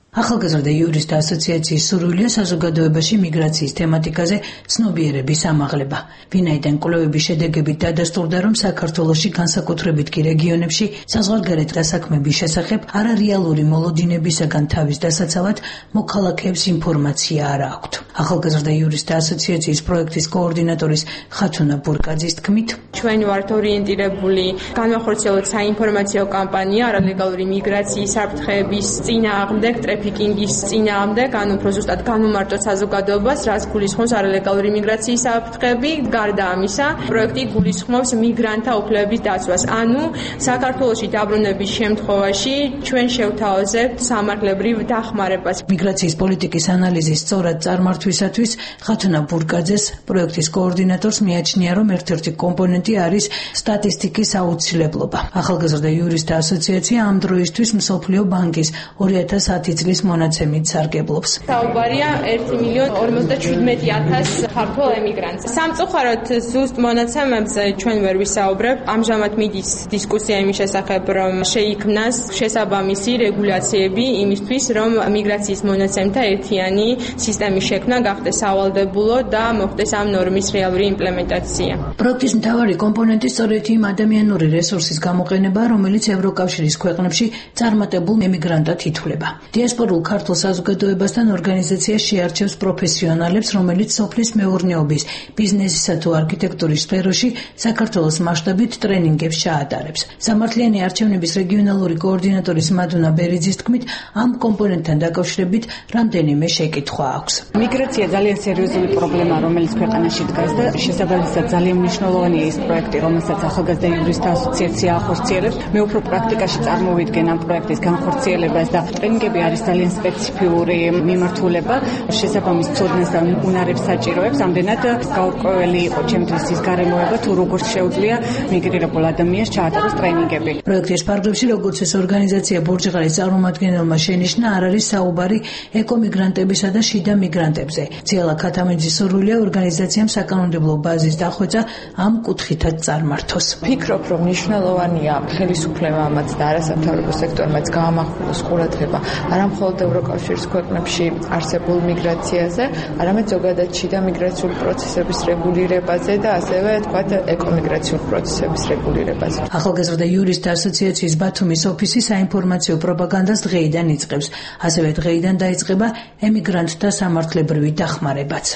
ახალგაზრდა იურისტთა ასოციაციის სურვილია საზოგადოებაში მიგრაციის თემატიკაზე ცნობიერების ამაღლება. ვინაიდან კვლევების შედეგებით დადასტურდა, რომ საქართველოში, განსაკუთრებით კი რეგიონებში, საზღვარგარეთ დასაქმების შესახებ არარეალური მოლოდინებისაგან თავის დასაცავად მოქალაქეებს ინფორმაცია არ აქვთ. ახალგაზრდა იურისტთა ასოციაციის პროექტის კოორდინატორის ხათუნა ბურკაძის თქმით, ჩვენ ვართ ორიენტირებული განვახორციელოთ საინფორმაციო კამპანია არალეგალური მიგრაციის საფრთხეების წინააღმდეგ, ტრაფიკინგის წინააღმდეგ, ან უფრო ზუსტად განუმარტოთ საზოგადოებას, რაც გულისხმობს არალეგალური მიგრაციის საფრთხები. გარდა ამისა, პროექტი გულისხმობს მიგრანტთა უფლებების დაცვას. ანუ საქართველოში დაბრუნების შემთხვევაში ჩვენ შევთავაზებთ სამართლებრივ დახმარებას. მიგრაციის პოლიტიკის ანალიზის სწორად წარმართვისათვის ხათუნა ბურკაძეს, პროექტის კოორდინატორს, მიაჩნია, რომ ერთ-ერთი კომპონენტი არის სტატისტიკის აუცილებლობა. ახალგაზრდა იურისტთა ასოციაცია ამ დროისთვის მსოფლიო ბანკის ორი ათას ათი წლის მონაცემით სარგებლობს. საუბარია ერთი მილიონ ორმოცდაშვიდმეტი ათას ქართველ ემიგრანტს. სამწუხაროდ ზუსტ მონაცემებზე ჩვენ ვერ ვისაუბრებ. ამჟამად მიდის დისკუსია იმის შესახებ, რომ შეიქმნას შესაბამისი რეგულაციები იმისთვის, რომ მიგრაციის მონაცემთა ერთიანი სისტემის შექმნა გახდეს სავალდებულო და მოხდეს ამ ნორმის რეალური იმპლემენტაცია. პროექტის მთავარი კომპონენტი სწორედ იმ ადამიანური რესურსის გამოყენება, რომელიც ევროკავშირის ქვეყნებში წარმატებულ ემიგრანტად ითვლება. დიასპორულ ქართულ საზოგადოებასთან ორგანიზაცია შეარჩევს პროფესიონალებს, რომელიც სოფლის მეურნეობის, ბიზნესისა თუ არქიტექტურის სფეროში საქართველოს მასშტაბით ტრენინგებს ჩაატარებს. სამართლიანი არჩევნების რეგიონალური კოორდინატორის მადუნა ბერიძის თქმით, ამ კომპონენტთან დაკავშირებით რამდენიმე შეკითხვა აქვს. მიგრაცია ძალიან სერიოზული პრობლემა, რომელიც ქვეყანაში დგას და შესაბამისად ძალიან მნიშვნელოვანია ის პროექტი, რომელსაც ახალგაზრდა იურისტთა ასოციაცია ახორციელებს. მე უფრო პრაქტიკაში წარმოვიდგენ ამ პროექტის განხორციელებას და ტრენინგები არის ძალიან სპეციფიური მიმართულება, შესაბამის ცოდნას და უნარებს საჭიროებს. ამდენად გაურკვეველი იყო ჩემთვის ის გარემოება, თუ როგორ შეუძლია მიგრირებულ ადამიანს ჩაატაროს ტრენინგები. პროექტის ფარგლებში, როგორც ეს ორგანიზაცია ბურჯღალის წარმომადგენელმა შენიშნა, არ არის საუბარი ეკომიგრანტებისა და შიდა მიგრანტებზე. ძიალა ქათამეძის სურვილია ორგანიზაციამ საკანონმდებლო ბაზის დახვეწა ამ კუთხითაც წარმართოს. ფიქრობ, რომ მნიშვნელოვანია ხელისუფლებამაც და არასამთავრობო სექტორმაც გაამახვილოს ყურადღება არა მხოლოდ ევროკავშირის ქვეყნებში არსებულ მიგრაციაზე, არამედ ზოგადად შიდა მიგრაციული პროცესების რეგულირებაზე და ასევე თქვათ ეკომიგრაციული პროცესების რეგულირებაზე. ახალგაზრდა იურისტთა ასოციაციის ბათუმის ოფისი საინფორმაციო პროპაგანდას დღეიდან იწყებს. ასევე დღეიდან დაიწყება ემიგრანტთა სამართლებრივი დახმარებაც.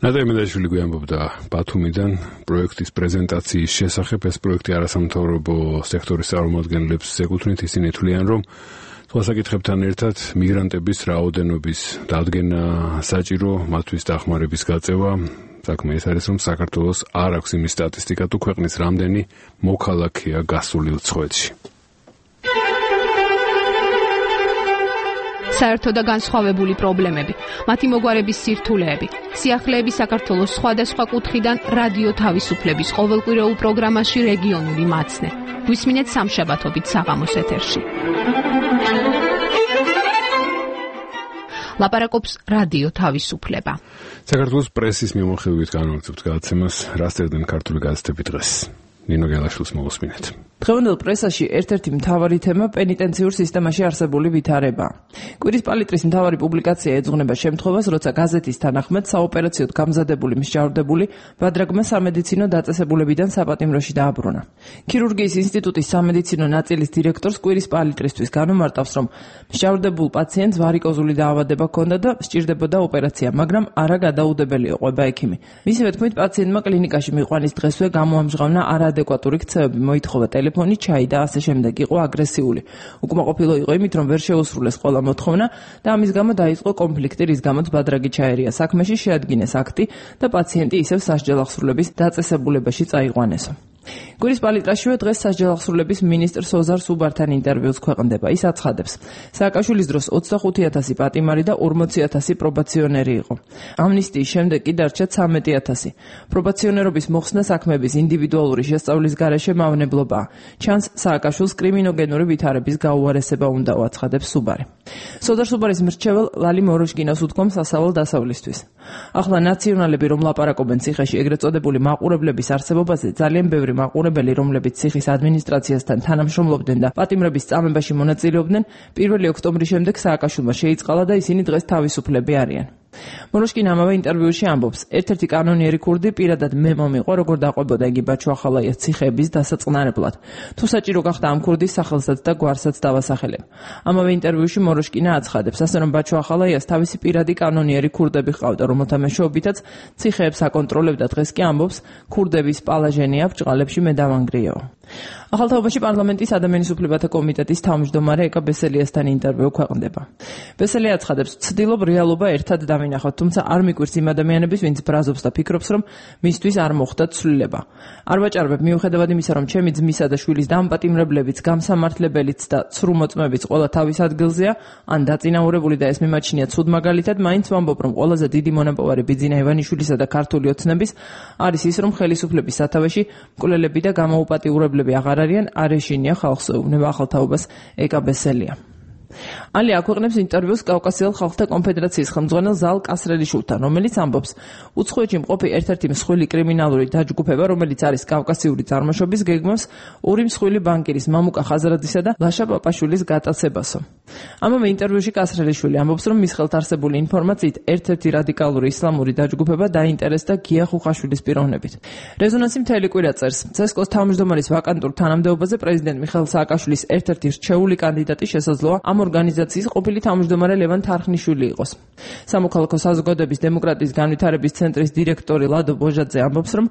ნატა იმედაიშვილი გვიამბობდა ბათუმიდან პროექტის პრეზენტაციის შესახებ. ეს პროექტი არასამთავრობო სექტორის წარმომადგენლებს ეკუთვნით. ისინი თვლიან, რომ სხვა საკითხებთან ერთად მიგრანტების რაოდენობის დადგენა საჭირო, მათთვის დახმარების გაწევა. საქმე ეს არის, რომ საქართველოს არ აქვს იმის სტატისტიკა, თუ ქვეყნის რამდენი მოქალაქეა გასული უცხოეთში. საერთო და განსხვავებული პრობლემები, მათი მოგვარების სირთულეები, სიახლეები საქართველოს სხვადასხვა კუთხიდან რადიო თავისუფლების ყოველკვირეულ პროგრამაში რეგიონული მაცნე. გვისმინეთ სამშაბათობით საღამოს ეთერში. ლაპარაკობს რადიო თავისუფლება. საქართველოს პრესის მიმოხილვით განვაგრძობთ გადაცემას, რა წერდნენ ქართული გაზეთები დღეს. ნინო გელაშვილს მოგესმინეთ. დღევანდელ პრესაში ერთ-ერთი მთავარი თემა პენიტენციურ სისტემაში არსებული ვითარებაა. კვირის პალიტრის მთავარი პუბლიკაცია ეძღვნება შემთხვევას, როცა გაზეთის თანახმად საოპერაციოდ გამზადებული მსჯავრდებული ბადრაგმა სამედიცინო დაწესებულებიდან საპატიმროში დააბრუნა. ქირურგიის ინსტიტუტის სამედიცინო ნაწილის დირექტორს კვირის პალიტრისთვის განუმარტავს, რომ მსჯავრდებულ პაციენტს ვარიკოზული დაავადება ჰქონდა და სჭირდებოდა ოპერაცია, მაგრამ არა გადაუდებელი ყვება ექიმი. მისივე თქმით, პაციენტმა კლინიკაში მიყვანის დღესვე გამოამჟღავნა არაადეკვატური ქცევები, მოითხოვა ტელეფონი, ჩაი და ასე შემდეგ. იყო აგრესიული. უკმაყოფილო იყო იმით, რომ ვერ შეუსრულეს ყველა მოთხოვნა და ამის გამო დაიწყო კონფლიქტი, რის გამოც ბადრაგი ჩაერია საქმეში, შეადგინეს აქტი და პაციენტი ისევ სასჯელ აღსრულების დაწესებულებაში წაიყვანესო. კვირის პალიტრაშივე დღეს სასჯელ აღსრულების მინისტრ სოზარ სუბართან ინტერვიუს ქვეყნდება. ის აცხადებს, სააკაშვილის დროს ოცდახუთი ათასი პატიმარი და ორმოცი ათასი პრობაციონერი იყო. ამნისტიის შემდეგ კი დარჩა ცამეტი ათასი. პრობაციონერობის მოხსნა საქმეების ინდივიდუალური შესწავლის გარეშე მავნებლობაა. ჩანს სააკაშვილს კრიმინოგენური ვითარების გაუარესება უნდა აცხადებს სუბარი. სოზარ სუბარის მრჩეվել ლალი მოროშკინას უთქვამს სასავალ დასავლისთვის. ახლა ნაციონალები რომ ლაპარაკობენ ციხეში ეგრეთ წოდებული მაყურებლების არსებობაზე, ძალიან ბევრი მაყურებელი, რომლებიც ციხის ადმინისტრაციასთან თანამშრომლობდნენ და პატიმრების წამებაში მონაწილეობდნენ, პირველი ოქტომბრის შემდეგ სააკაშვილმა შეიწყალა და ისინი დღეს თავისუფლები არიან. მოროშკინა ამავე ინტერვიუში ამბობს, ერთ-ერთი კანონიერი ქურდი პირადად მე მომიყვა, როგორ დაყვებოდა იგი ბაჩუახალაიას ციხეების დასაწყნარებლად. თუ საჭირო გახდა ამ ქურდის სახელსაც და გვარსაც დავასახელებ. ამავე ინტერვიუში მოროშკინა აცხადებს, ასე რომ ბაჩუახალაიას თავისი პირადი კანონიერი ქურდები ჰყავდა, რომელთა მეშვეობითაც ციხეებს აკონტროლებდა. დღეს კი ამბობს, ქურდების პალაჟენია ბჭყალებში მე დავანგრიაო. ახალთაობაში პარლამენტის ადამიანის უფლებათა კომიტეტის თავმჯდომარე ეკა ბესელიასთან ინტერვიუ ქვეყნდება. ბესელი აცხადებს, ვცდილობ რეალობა ერთად დავინახოთ, თუმცა არ მიკვირს იმ ადამიანების, ვინც ბრაზობს და ფიქრობს, რომ მისთვის არ მოხდა ცვლილება. არ ვაჭარბებ მიუხედავად იმისა, რომ ჩემი ძმისა და შვილის დამპატიმრებლებიც, გამსამართლებელიც და ცრუ მოწმებიც ყველა თავის ადგილზეა, ან დაწინაურებული და ეს მიმაჩნია ცუდ მაგალითად, მაინც ვამბობ, რომ ყველაზე დიდი მონაპოვარი ბიძინა ივანიშვილისა და ქართული ოცნების არის ის, რომ ხელისუფლების სათავეში მკვლელები და გამოუპატიურებლები აღარ არიან, არ ეშინია ხალხს ეუბნება ახალთაობას ეკა ბესელია. ალი აქვეყნებს ინტერვიუს კავკასიელ ხალხთა კონფედერაციის ხელმძღვანელ ზალ კასრელიშვილთან, რომელიც ამბობს, უცხოეთში მყოფი ერთ-ერთი მსხვილი კრიმინალური დაჯგუფება, რომელიც არის კავკასიური წარმოშობის, გეგმავს ორი მსხვილი ბანკირის მამუკა ხაზრადისა და ლაშა პაპაშვილის გატაცებასო. ამავე ინტერვიუში კასრელიშვილი ამბობს, რომ მის ხელთ არსებული ინფორმაციით ერთ-ერთი რადიკალური ისლამური დაჯგუფება დაინტერესდა გია ხუხაშვილის პიროვნებით. რეზონანსი მთელი კვირა წერს, ცესკოს თავმჯდომარის ვაკანტურ თანამდებობაზე პრეზიდენტ მიხეილ სააკაშვილის ერთ-ერთი რჩეული კანდიდატი შესაძლოა ამ ორგანიზაციის ყოფილი თავმჯდომარე ლევან თარხნიშვილი იყოს. სამოქალაქო საზოგადოების დემოკრატიის განვითარების ცენტრის დირექტორი ლადო ბოჟაძე ამბობს, რომ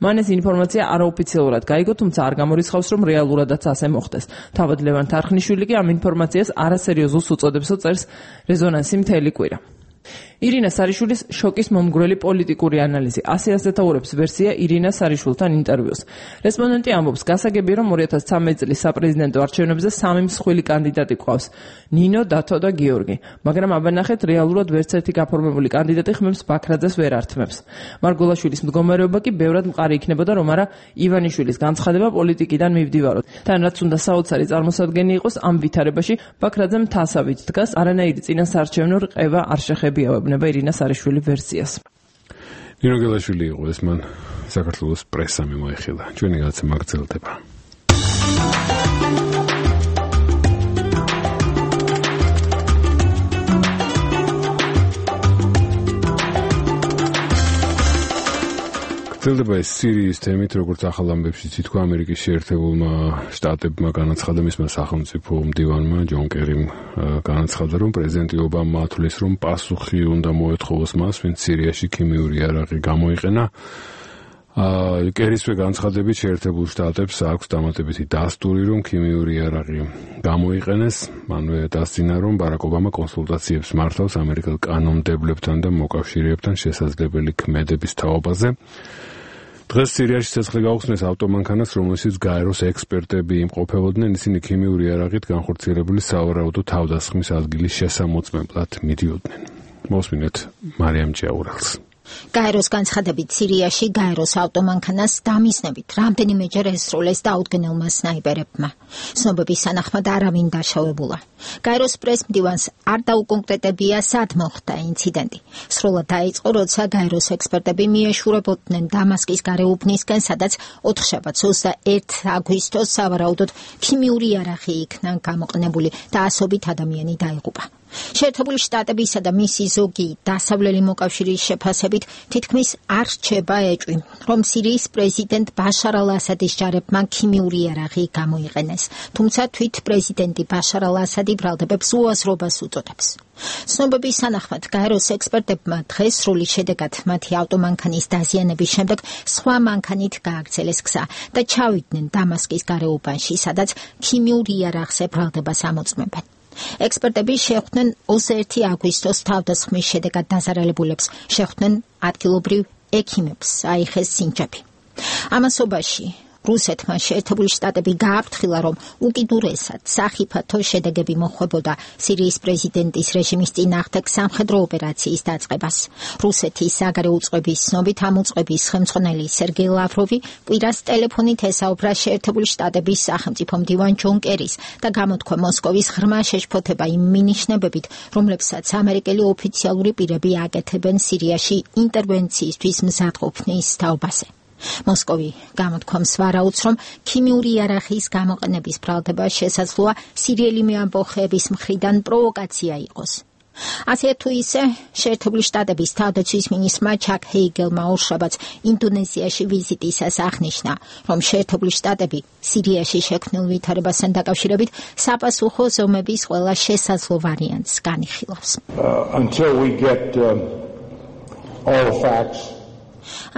მან ეს ინფორმაცია არაოფიციალურად გაიგო, თუმცა არ გამორიცხავს, რომ რეალურადაც ასე მოხდეს. თავად ლევან თარხნიშვილი კი ამ ინფორმაციას არასერიოზულს უწოდებსო, წერს რეზონანსი მთელი კვირა. ირინა სარიშვილის შოკის მომგვრელი პოლიტიკური ანალიზი. ასე ასეთაურებს ვერსია ირინა სარიშვილთან ინტერვიუს. რესპონდენტი ამბობს, გასაგებია, რომ ორი ათას ცამეტი წლის საპრეზიდენტო არჩევნებზე სამი მსხვილი კანდიდატი გვყავს: ნინო, დათო და გიორგი. მაგრამ აბანახეთ, რეალურად ვერც ერთი გაფორმებული კანდიდატი ხმებს ბაქრაძეს ვერ ართმევს. მარგულაშვილის მდგომარეობა კი ბევრად მყარი იქნებოდა, რომ არა ივანიშვილის განცხადება პოლიტიკიდან მივდივაროთ. თან რაც უნდა საოცარი წარმოსადგენი იყოს, ამ ვითარებაში ბაქრაძემ თასავით დგას, არანაირი წინასაარჩევნო რყევა არ შეხებიაო. ირინა სარიშვილი ვერსიას. ნინო გელაშვილი იყო ეს, მან საქართველოს პრესა მიმოიხილა. ჩვენი გადაცემა გრძელდება. გრძელდება ეს სირიის თემით, როგორც ახალ ამბებში თითქოს ამერიკის შეერთებულმა შტატებმა განაცხადა, მისმა სახელმწიფო მდივანმა ჯონ კერიმ განაცხადა, რომ პრეზიდენტი ობამა ათვლის, რომ პასუხი უნდა მოეთხოვოს მას, ვინც სირიაში ქიმიური იარაღი გამოიყენა. კერისვე განცხადებით შეერთებულ შტატებს აქვს დამატებითი დასტური, რომ ქიმიური იარაღი გამოიყენეს. მანვე დასძინა, რომ ბარაკ ობამა კონსულტაციებს მართავს ამერიკელ კანონმდებლებთან და მოკავშირეებთან შესაძლებელი ქმედების თაობაზე. დღეს სირიაში ცეცხლი გაუხსნეს ავტომანქანას, რომელშიც გაეროს ექსპერტები იმყოფებოდნენ. ისინი ქიმიური იარაღით განხორციელებული სავარაუდო თავდასხმის ადგილის შესამოწმებლად მიდიოდნენ. მოსმინეთ მარიამ ჭიაურელს. გაეროს განცხადებით სირიაში გაეროს ავტომანქანას დამიზნებით რამდენიმეჯერ ესროლეს დაუდგენელმა სნაიპერებმა. ცნობების თანახმად არავინ დაშავებულა. გაეროს პრეს-მდივანს არ დაუკონკრეტებია სად მოხდა ინციდენტი. სროლა დაიწყო, როცა გაეროს ექსპერტები მიეშურებოდნენ დამასკის გარეუბნისკენ, სადაც ოთხშაბათს ოცდაერთი აგვისტოს სავარაუდოდ ქიმიური იარაღი იქნა გამოყენებული და ასობით ადამიანი დაიღუპა. შეერთებული შტატებისა და მისი ზოგი დასავლელი მოკავშირის შეფასებით თითქმის არ რჩება ეჭვი, რომ სირიის პრეზიდენტ ბაშარ ალ-ასადის ჯარებმა ქიმიური იარაღი გამოიყენეს, თუმცა თვით პრეზიდენტი ბაშარ ალ-ასადი ბრალდებებს უაზრობას უწოდებს. ცნობების თანახმად გაეროს ექსპერტებმა დღეს სრული შედეგად მათი ავტომანქანის დაზიანების შემდეგ სხვა მანქანით გააგრძელეს გზა და ჩავიდნენ დამასკის გარეუბანში, სადაც ქიმიურ იარაღზე ბრალდებას ამოწმებენ. ექსპერტები შეხვდნენ ოცდაერთი აგვისტოს თავდასხმის შედეგად დაზარალებულებს, შეხვდნენ ადგილობრივ ექიმებს, აიხეს სინჯაბი. ამასობაში რუსეთმა შეერთებული შტატები გააფრთხილა, რომ უკიდურესად სახიფათო შედეგები მოხვებოდა სირიის პრეზიდენტის რეჟიმის წინააღმდეგ სამხედრო ოპერაციის დაწყებას. რუსეთის საგარეო უწყების ცნობით ამ უწყების ხელმძღვანელი სერგეი ლავროვი კვირას ტელეფონით ესაუბრა შეერთებული შტატების სახელმწიფო მდივან ჯონ კერის და გამოთქვა მოსკოვის ღრმა შეშფოთება იმ მინიშნებებით, რომლებსაც ამერიკელი ოფიციალური პირები აკეთებენ სირიაში ინტერვენციისთვის მზადყოფნის თაობაზე. მოსკოვი გამოთქვამს ვარაუდს, რომ ქიმიური იარაღის გამოყენების ბრალდება შესაძლოა სირიელი მეამბოხეების მხრიდან პროვოკაცია იყოს. ასე თუ ისე, შეერთებული შტატების თავდაცვის მინისტრმა ჩაკ ჰეიგელმა ორშაბათს ინდონეზიაში ვიზიტისას აღნიშნა, რომ შეერთებული შტატები სირიაში შექმნილ ვითარებასთან დაკავშირებით საპასუხო ზომების ყველა შესაძლო ვარიანტს განიხილავს. Uh, until we get uh, all the facts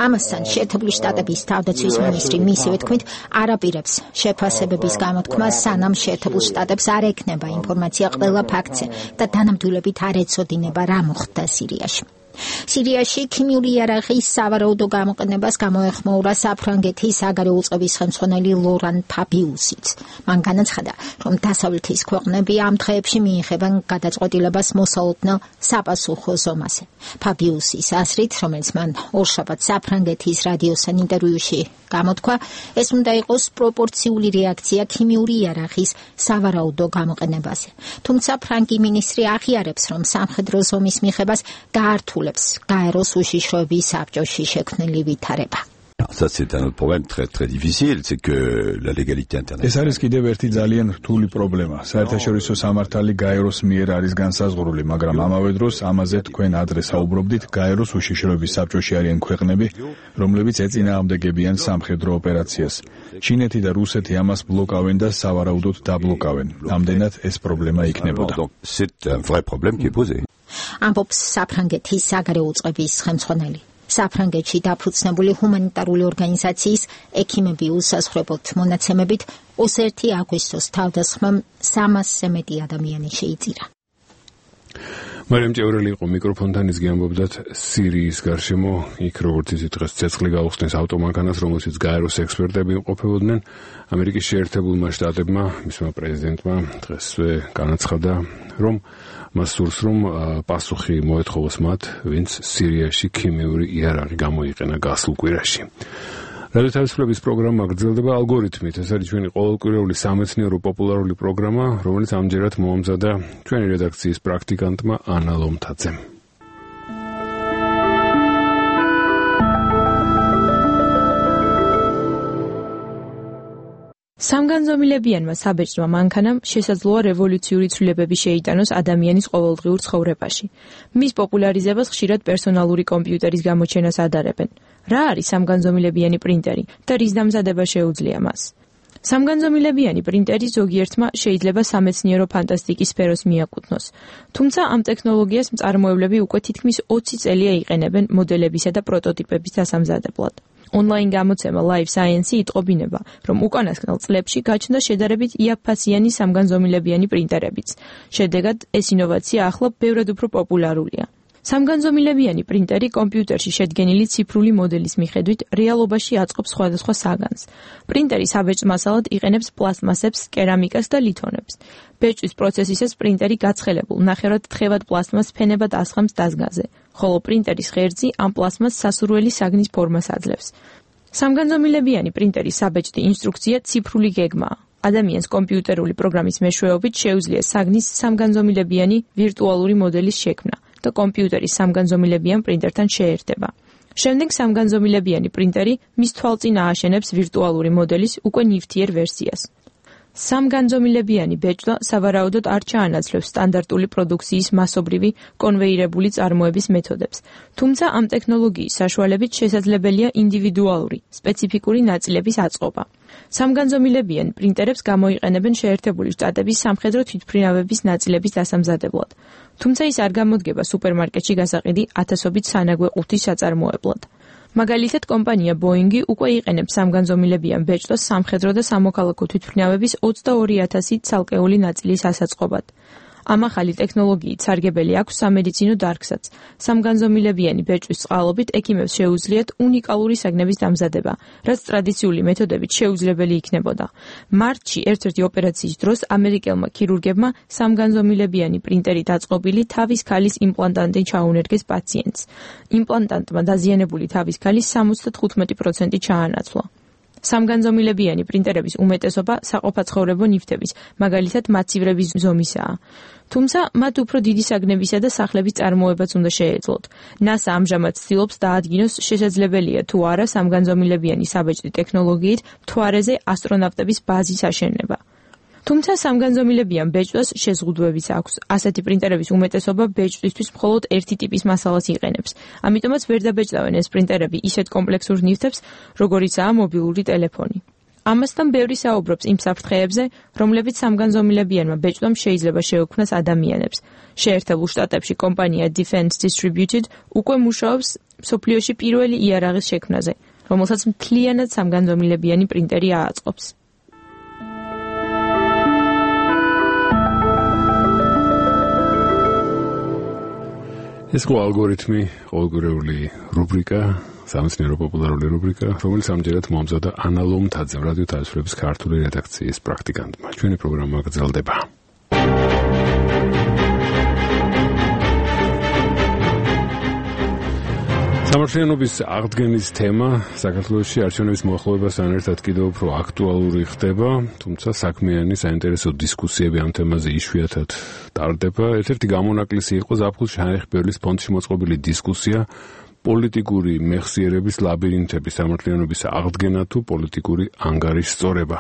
ამასთან შეერთებული შტატების თავდაცვის მინისტრი მისივე თქმით არაპირებს შეფასებების გამოთქმას, სანამ შეერთებულ შტატებს არ ექნება ინფორმაცია ყველა ფაქტზე და დანამდვილებით არ ეწოდინება რა მოხდა სირიაში. სირიაში ქიმიური იარაღის სავარაუდო გამოყენებას გამოეხმაურა საფრანგეთის საგარეო უწყების ხელმძღვანელი ლორან ფაბიუსიც. მან განაცხადა, რომ დასავლეთის ქვეყნები ამ დღეებში მიიღებენ გადაწყვეტილებას მოსალოდნელ საპასუხო ზომაზე. ფაბიუსის აზრით, რომელიც მან ორშაბათს საფრანგეთის რადიოსთან ინტერვიუში გამოთქვა, ეს უნდა იყოს პროპორციული რეაქცია ქიმიური იარაღის სავარაუდო გამოყენებაზე. თუმცა ფრანგი მინისტრი აღიარებს, რომ სამხედრო ზომის მიღებას გაართულებს გაეროს უშიშროების საბჭოში შექმნილი ვითარება. Ça c'est un problème très très difficile, c'est que la légalité internationale. ეს არის კიდევ ერთი ძალიან რთული პრობლემა. საერთაშორისო სამართალი გაეროს მიერ არის განსაზღვრული, მაგრამ ამავე დროს ამაზე თქვენ ადრე საუბრობდით, გაეროს უშიშროების საბჭოში არიან ქვეყნები, რომლებიც ეწინააღმდეგებიან სამხედრო ოპერაციას. ჩინეთი და რუსეთი ამას ბლოკავენ და სავარაუდოდ დაბლოკავენ. ამდენად ეს პრობლემა იქნებოდა. C'est un vrai problème qui est posé. ამბობს საფრანგეთის საგარეო უწყების ხელმძღვანელი. საფრანგეთში დაფუძნებული ჰუმანიტარული ორგანიზაციის ექიმები უსაზღვრებოდ მონაცემებით ოცდაერთი აგვისტოს თავდასხმამ სამასზე მეტი ადამიანი შეიწირა. მარიამ ჭევრელი იყო მიკროფონთან, ის გიამბობდათ სირიის გარშემო, იქ როგორც იცით დღეს ცეცხლი გაუხსნეს ავტომანქანას, რომელშიც გაეროს ექსპერტები იმყოფებოდნენ. ამერიკის შეერთებულმა შტატებმა, მისმა პრეზიდენტმა დღესვე განაცხადა, რომ მას სურს, რომ პასუხი მოეთხოვოს მათ, ვინც სირიაში ქიმიური იარაღი გამოიყენა გასულ კვირაში. რადიო თავისუფლების პროგრამა გრძელდება ალგორითმით. ეს არის ჩვენი ყოველკვირეული სამეცნიერო პოპულარული პროგრამა, რომელიც ამჯერად მოამზადა ჩვენი რედაქციის პრაქტიკანტმა ანა ლომთაძემ. სამგანზომილებიანმა საბეჭდმა მანქანამ შესაძლოა რევოლუციური ცვლილებები შეიტანოს ადამიანის ყოველდღიურ ცხოვრებაში. მის პოპულარიზებას ხშირად პერსონალური კომპიუტერის გამოჩენას ადარებენ. რა არის სამგანზომილებიანი პრინტერი და რის დამზადება შეუძლია მას? სამგანზომილებიანი პრინტერი ზოგიერთმა შეიძლება სამეცნიერო ფანტასტიკის სფეროს მიაკუთვნოს. თუმცა ამ ტექნოლოგიას მწარმოებლები უკვე თითქმის ოცი წელია იყენებენ მოდელებისა და პროტოტიპების დასამზადებლად. ონლაინ გამოცემა Life Science იტყობინება, რომ უკანასკნელ წლებში გაჩნდა შედარებით იაფფასიანი სამგანზომილებიანი პრინტერებიც. შედეგად ეს ინოვაცია ახლა ბევრად უფრო პოპულარულია. სამგანზომილებიანი პრინტერი კომპიუტერში შედგენილი ციფრული მოდელის მიხედვით რეალობაში აწყობს სხვადასხვა საგანს. პრინტერი საბეჭდ მასალად იყენებს პლასტმასებს, კერამიკას და ლითონებს. ბეჭდვის პროცესისას პრინტერი გაცხელებულ, ნახევრად თხევად პლასტმას ფენებად ასხამს დაზგაზე, ხოლო პრინტერის ღერძი ამ პლასტმას სასურველი საგნის ფორმას აძლევს. სამგანზომილებიანი პრინტერის საბეჭდი ინსტრუქცია ციფრული გეგმაა. ადამიანს კომპიუტერული პროგრამის მეშვეობით შეუძლია საგნის სამგანზომილებიანი ვირტუალური მოდელის შექმნა და კომპიუტერის სამგანზომილებიან პრინტერთან შეერთება. შემდეგ სამგანზომილებიანი პრინტერი მის თვალწინ ააშენებს ვირტუალური მოდელის უკვე ნივთიერ ვერსიას. სამგანზომილებიანი ბეჭდვა სავარაუდოდ არ ჩაანაცვლებს სტანდარტული პროდუქციის მასობრივი კონვეირებული წარმოების მეთოდებს, თუმცა ამ ტექნოლოგიის საშუალებით შესაძლებელია ინდივიდუალური, სპეციფიკური ნაწილების აწყობა. სამგანზომილებიან პრინტერებს გამოიყენებენ შეერთებული შტატების სამხედრო თვითმფრინავების ნაწილების დასამზადებლად, თუმცა ის არ გამოდგება სუპერმარკეტში გასაყიდი ათასობით სანაგვე ყუთის საწარმოებლად. მაგალითად, კომპანია ბოინგი უკვე იყენებს სამგანზომილებიან ბეჭდვას სამხედრო და სამოქალაქო თვითმფრინავების ოცდაორი ათასი ცალკეული ნაწილის ასაწყობად. ამ ახალი ტექნოლოგიით სარგებელი აქვს სამედიცინო დარგსაც. სამგანზომილებიანი ბეჭდვის წყალობით ექიმებს შეუძლიათ უნიკალური საგნების დამზადება, რაც ტრადიციული მეთოდებით შეუძლებელი იქნებოდა. მარტში ერთ-ერთი ოპერაციის დროს ამერიკელმა ქირურგებმა სამგანზომილებიანი პრინტერით აწყობილი თავის ქალის იმპლანტანტი ჩაუნერგეს პაციენტს. იმპლანტანტმა დაზიანებული თავის ქალის სამოცდათხუთმეტი პროცენტი ჩაანაცვლა. სამგანზომილებიანი პრინტერების უმეტესობა საყოფაცხოვრებო ნივთების, მაგალითად მაცივრების ზომისაა. თუმცა მათ უფრო დიდი საგნებისა და სახლების წარმოებაც უნდა შეეძლოთ. ნასა ამჟამად ცდილობს დაადგინოს შესაძლებელია თუ არა სამგანზომილებიანი საბეჭდი ტექნოლოგიით მთვარეზე ასტრონავტების ბაზის აშენება. თუმცა სამგანზომილებიან ბეჭდვას შეზღუდვებიც აქვს. ასეთი პრინტერების უმეტესობა ბეჭდვისთვის მხოლოდ ერთი ტიპის მასალას იყენებს. ამიტომაც ვერ დაბეჭდავენ ეს პრინტერები ისეთ კომპლექსურ ნივთებს, როგორიცაა მობილური ტელეფონი. ამასთან ბევრი საუბრობს იმ საფრთხეებზე, რომლებიც სამგანზომილებიანმა ბეჭდვამ შეიძლება შეექმნას ადამიანებს. შეერთებულ შტატებში კომპანია Defense Distributed უკვე მუშაობს მსოფლიოში პირველი იარაღის შექმნაზე, რომელსაც მთლიანად სამგანზომილებიანი პრინტერი ააწყობს. ეს ყო ალგორითმი, ყოველგვარეული რუბრიკა, სამეცნიერო პოპულარული რუბრიკა, რომელიც ამჯერად მომზადა ანა ლომთაძე, რადიო თავისუფლების ქართული რედაქციის პრაქტიკანტმა. ჩვენი პროგრამა გრძელდება. სამართლიანობის აღდგენის თემა საქართველოში არჩევნების მოახლოებასთან ერთად კიდევ უფრო აქტუალური ხდება, თუმცა საქმიანი საინტერესო დისკუსიები ამ თემაზე იშვიათად ტარდება. ერთ-ერთი გამონაკლისი იყო ზაფხულ შაიხბერლის ფონდში მოწყობილი დისკუსია პოლიტიკური მეხსიერების ლაბირინთების სამართლიანობის აღდგენა თუ პოლიტიკური ანგარიშის სწორება.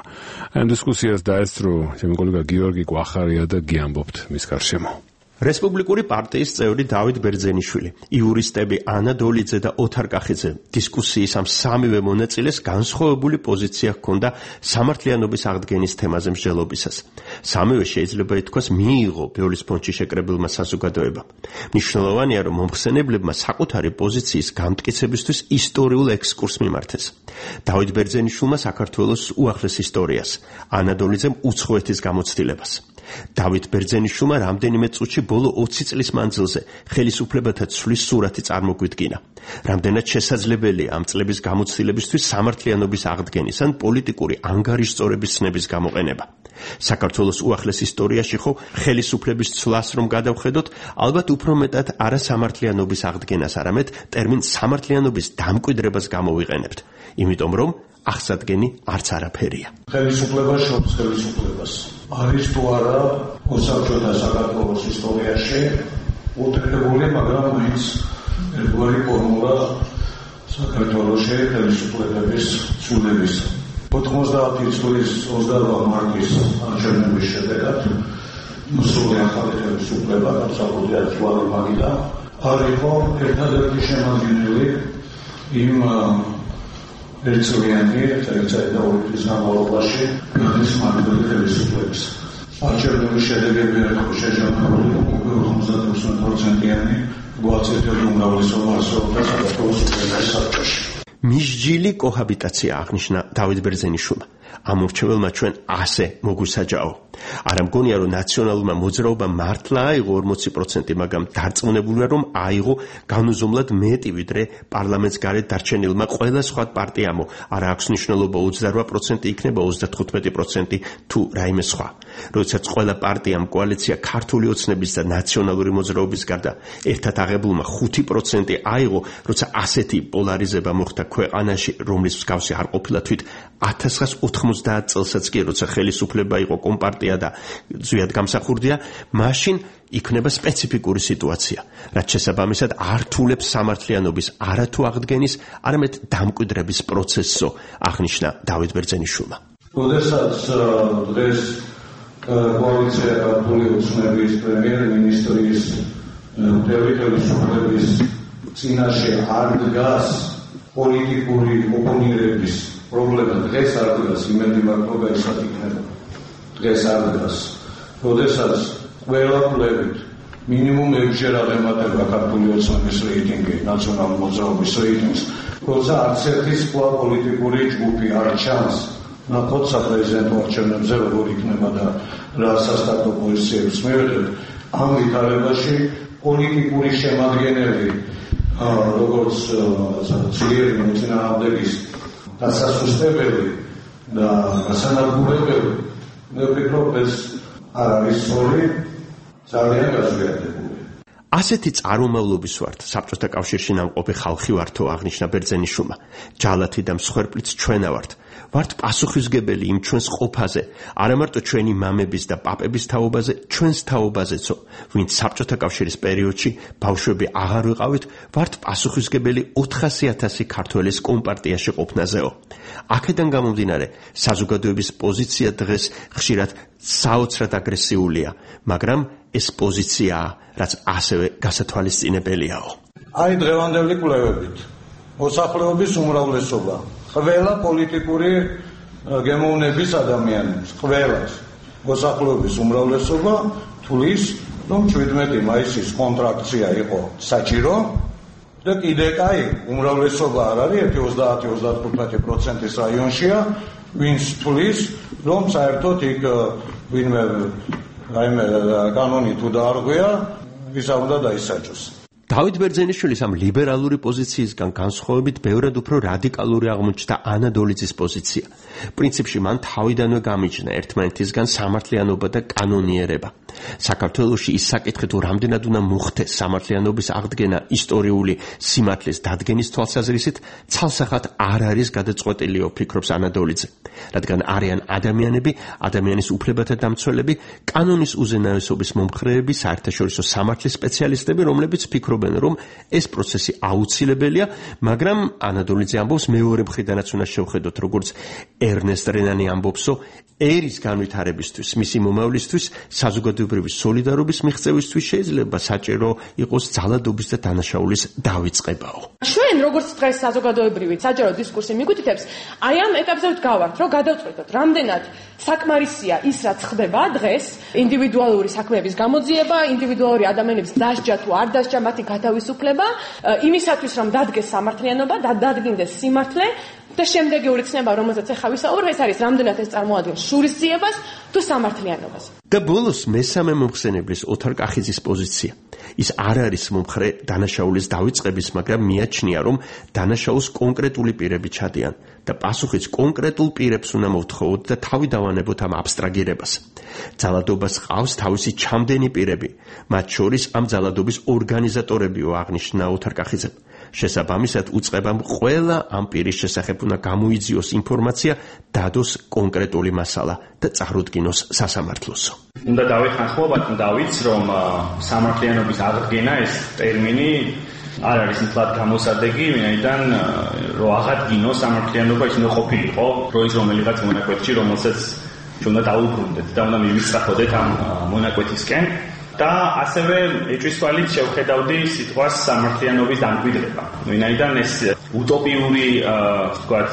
ამ დისკუსიას დაესწრო ჩემი კოლეგა გიორგი კვახარია და გიამბობთ მის გარშემო. რესპუბლიკური პარტიის წევრი დავით ბერძენიშვილი, იურისტები ანა დოლიძე და ოთარ კახიძე დისკუსიის ამ სამივე მონაწილეს განსხვავებული პოზიცია ჰქონდა სამართლიანობის აღდგენის თემაზე მსჯელობისას. სამივე შეიძლება ითქვას მიიღო ბევრის ფონდში შეკრებილმა საზოგადოებამ. მნიშვნელოვანია, რომ მომხსენებლებმა საკუთარი პოზიციის გამტკიცებისთვის ისტორიულ ექსკურსს მიმართეს. დავით ბერძენიშვილმა საქართველოს უახლეს ისტორიას, ანა დოლიძემ უცხოეთის გამოცდილებას. დავით ბერძენიშვილმა რამდენიმე წუთში ბოლო ოცი წლის მანძილზე ხელისუფლებათა ცვლის სურათი წარმოგვიდგინა. რამდენად შესაძლებელია ამ წლების გამოცდილებისთვის სამართლიანობის აღდგენის ან პოლიტიკური ანგარიშწორების ცნების გამოყენება. საქართველოს უახლეს ისტორიაში ხო ხელისუფლების ცვლას რომ გადავხედოთ, ალბათ უფრო მეტად არა სამართლიანობის აღდგენას, არამედ ტერმინ სამართლიანობის დამკვიდრებას გამოვიყენებთ, იმიტომ რომ აღსადგენი არც არაფერია. ხელისუფლება შობს ხელისუფლებას. არის თუ არა ოსაბჭოთა საქართველოს ისტორიაში უთხრებული, მაგრამ მაინც ერთგვარი ფორმულა საქართველოში ხელისუფლების ცვლილების. ოთხმოცდაათი წლის ოცდაოთხ მარტის არჩევნების შედეგად მსრული ახალი ხელისუფლება გასაგები აქტუალური მაგიდა არ იყო ერთადერთი შემადგენელი იმ ერთწლიანი ერთ-ერთი და ორი წლის განმავლობაში გადის მაგდროდი ხელისუფლების. არჩევნების შედეგები იყო შეჯამებული უკვე ოცდათხუთმეტ პროცენტიანი გვაწევდები უმრავლესობა ასოთა საქართველოს უპირატეს საბჭოში. მისჯილი კოჰაბიტაცია აღნიშნა დავით ბერძენიშვილმა. ამორჩეველმა ჩვენ ასე მოგვისაჯაო. არ მგონია რომ ნაციონალურმა მოძრაობამ მართლა აიღო ორმოცი პროცენტი, მაგრამ დარწმუნებულია რომ აიღო განუზომლად მეტი ვიდრე პარლამენტს გარეთ დარჩენილმა ყველა სხვა პარტიამო. არ აქვს მნიშვნელობა ოცდაოთხ პროცენტი იქნება ოცდათხუთმეტი პროცენტი თუ რაიმე სხვა. როდესაც ყველა პარტიამ კოალიცია ქართული ოცნების და ნაციონალური მოძრაობის გარდა ერთად აღებულმა ხუთი პროცენტი აიღო, როცა ასეთი პოლარიზება მოხდა ქვეყანაში, რომლის მსგავსი არ ყოფილა თვით ათას ცხრაას ოთხმოცდაათ წელსაც კი, როცა ხელისუფლება იყო კომპარტია და ზვიად გამსახურდია, მაშინ იქნება სპეციფიკური სიტუაცია, რაც შესაბამისად ართულებს სამართლიანობის არათუ აღდგენის, არამედ დამკვიდრების პროცესსო, აღნიშნა დავით ბერძენიშვილმა. როდესაც დღეს კოალიცია ქართული ოცნების პრემიერ-მინისტრის მთელი ხელისუფლების წინაშე არ დგას პოლიტიკური ოპონირების პრობლემა, დღეს არ დგას, იმედი მაქვს, რომ ესად იქნება. დღეს არ დგას. როდესაც ყველა კვლევით მინიმუმ ექვსჯერ აღემატება ქართული ოცნების რეიტინგი ნაციონალური მოძრაობის რეიტინგს, როცა არც ერთი სხვა პოლიტიკური ჯგუფი არ ჩანს ნახოთ საპრეზიდენტო არჩევნებზე როგორ იქნება და რა სასტარტო პოზიციებს მივიღებთ. ამ ვითარებაში პოლიტიკური შემადგენელი როგორც ძლიერი მოწინააღმდეგის დასასუსტებელი და გასანადგურებელი, მე ვფიქრობ, ეს არ არის სწორი, ძალიან გაზვიადებული. ასეთი წარმომავლობის ვართ, საბჭოთა კავშირში ნამყოფი ხალხი ვართო, აღნიშნა ბერძენიშვილმა. ჯალათი და მსხვერპლიც ჩვენა ვართ. ვართ პასუხისმგებელი იმ ჩვენს ყოფაზე, არა მარტო ჩვენი მამების და პაპების თაობაზე, ჩვენს თაობაზეცო, ვინც საბჭოთა კავშირის პერიოდში ბავშვები აღარ ვიყავით, ვართ პასუხისმგებელი ოთხასი ათასი ქართველის კომპარტიაში ყოფნაზეო. აქედან გამომდინარე, საზოგადოების პოზიცია დღეს ხშირად საოცრად აგრესიულია, მაგრამ ეს პოზიციაა, რაც ასევე გასათვალისწინებელიაო. აი დღევანდელი კვლევებით მოსახლეობის უმრავლესობა ყველა პოლიტიკური გემოვნების ადამიანებს, ყველას მოსახლეობის უმრავლესობა თulis, რომ შვიდმეტი მაისის კონტრაქცია იყო საჭირო და კიდე კაი უმრავლესობა არ არის, ერთი ოცდაათი ოცდათხუთმეტი პროცენტის რაიონშია, ვინც თulis, რომ საერთოდ იქ ვინმე რაიმე კანონი თუ დაარღვია, ვისა უნდა დაისაჯოს. დავით ბერძენიშვილის ამ ლიბერალური პოზიციისგან განსხვავებით ბევრად უფრო რადიკალური აღმოჩნდა ანა დოლიძის პოზიცია. პრინციპში მან თავიდანვე გამიჩნდა ერთმანეთისგან სამართლიანობა და კანონიერება. საქართველოში ის საკითხი თუ რამდენად უნდა მოხდეს სამართლიანობის აღდგენა ისტორიული სიმართლის დადგენის თვალსაზრისით, ცალსახად არ არის გადაწყვეტილიო, ფიქრობს ანა დოლიძე. რადგან არიან ადამიანები, ადამიანის უფლებათა დამცველები, კანონის უზენაესობის მომხრეები, საერთაშორისო სამართლის სპეციალისტები, რომლებიც ფიქრობენ, რომ ეს პროცესი აუცილებელია, მაგრამ ანა დოლიძე ამბობს, მეორე მხრიდანაც უნდა შევხედოთ, როგორც ერნესტ რენანი ამბობსო, ერის განვითარებისთვის, მისი მომავლისთვის, საზოგადოებრივი სოლიდარობის მიღწევისთვის შეიძლება საჭირო იყოს ძალადობის და დანაშაულის დავიწყებაო. ჩვენ როგორც დღეს საზოგადოებრივი საჯარო დისკურსი მიგვითითებს, აი ამ ეტაპზე ვდგავართ, რომ გადავწყვეტოთ, რამდენად საკმარისია ის, რაც ხდება დღეს, ინდივიდუალური საქმეების გამოძიება, ინდივიდუალური ადამიანების დასჯა თუ არ დასჯა, მათი გათავისუფლება, იმისათვის, რომ დადგეს სამართლიანობა და დადგინდეს სიმართლე და შემდეგი ცნება, რომელზეც ახლა ვისაუბრეთ, ეს არის რამდენად ეს წარმოადგენს შურისძიებას თუ სამართლიანობას. და ბოლოს მესამე მომხსენებლის ოთარ კახიძის პოზიცია. ის არ არის მომხრე დანაშაულის დავიწყების, მაგრამ მიაჩნია, რომ დანაშაულს კონკრეტული პირები ჩადიან და პასუხიც კონკრეტულ პირებს უნდა მოვთხოვოთ და თავი დავანებოთ ამ აბსტრაგირებას. ძალადობას ყავს თავისი ჩამდენი პირები, მათ შორის ამ ძალადობის ორგანიზატორებიო, აღნიშნა ოთარ კახიძემ. შესაბამისად უწყებამ ყველა ამ პირის შესახებ უნდა გამოიძიოს ინფორმაცია, დადოს კონკრეტული მასალა და წარუდგინოს სასამართლოსო. უნდა დავიხანხმობათ, დავიც, რომ სამართლიანობის აღდგენა ეს ტერმინი არ არის მთლად გამოსადეგი, ვინაიდან რომ აღადგინოს სამართლიანობა ის უნდა ყოფილიყო დროის რომელიღაც მონაკვეთში, რომელსაც უნდა დაუბრუნდეთ და უნდა მივისწრაფოდეთ ამ მონაკვეთისკენ. და ასევე ეჭვისვალით შევხედავდი სიტყვას სამართლიანობის დამკვიდრება. ვინაიდან ეს უტოპიური, ვთქვათ,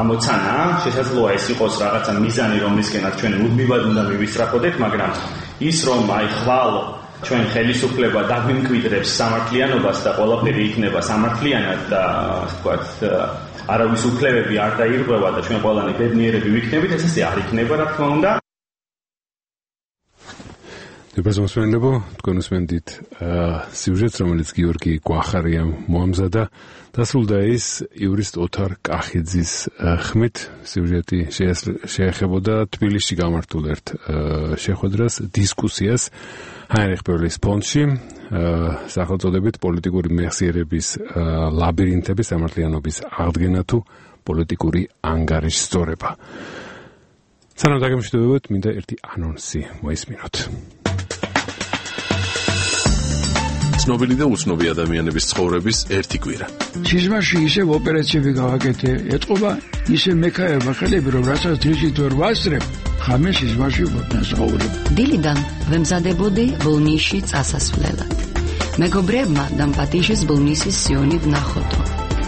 ამოცანა, შესაძლოა ეს იყოს რაღაცა მიზანი, რომლისკენაც ჩვენ მუდმივად უნდა მივისწრაფოდეთ, მაგრამ ის რომ აი ხვალ ჩვენ ხელისუფლება დაგვიმკვიდრებს სამართლიანობას და ყველაფერი იქნება სამართლიანად და ვთქვათ არავის უფლებები არ დაირღვევა და ჩვენ ყველანი ბედნიერები ვიქნებით, ეს ესე არ იქნება, რა თქმა უნდა. დეპრესმოსმენლებო, თქვენ უსმენთ სიუჟეტს, რომელიც გიორგი გვახარიამ მოამზადა. დასრულდა ის იურისტ ოთარ კახიძის ხმით. სიუჟეტი შეეხებოდა თბილისში გამართულ ერთ შეხვედრას, დისკუსიას ჰაინრიხ ბერლის ფონდში, სახელწოდებით პოლიტიკური მეხსიერების ლაბირინთების სამართლიანობის აღდგენა თუ პოლიტიკური ანგარიშსწორება. სანამ დაგემშვიდობებოთ, მინდა ერთი ანონსი მოისმინოთ. ცნობილი და უცნობი ადამიანების ცხოვრების ერთი კვირა. სიზმარში ისევ ოპერაციები გავაკეთე, ეთყობა ისე მექაერმა ხელები, რომ რასაც დღისით ვერ ვასწრებ, ხამე სიზმარში ვտնასაუბრებ. დილიდან ვემზადებოდი ბოლნისში წასასვლელად. მეგობრებმა დამპატიჟეს ბოლნისის სიონი ვნახოდო.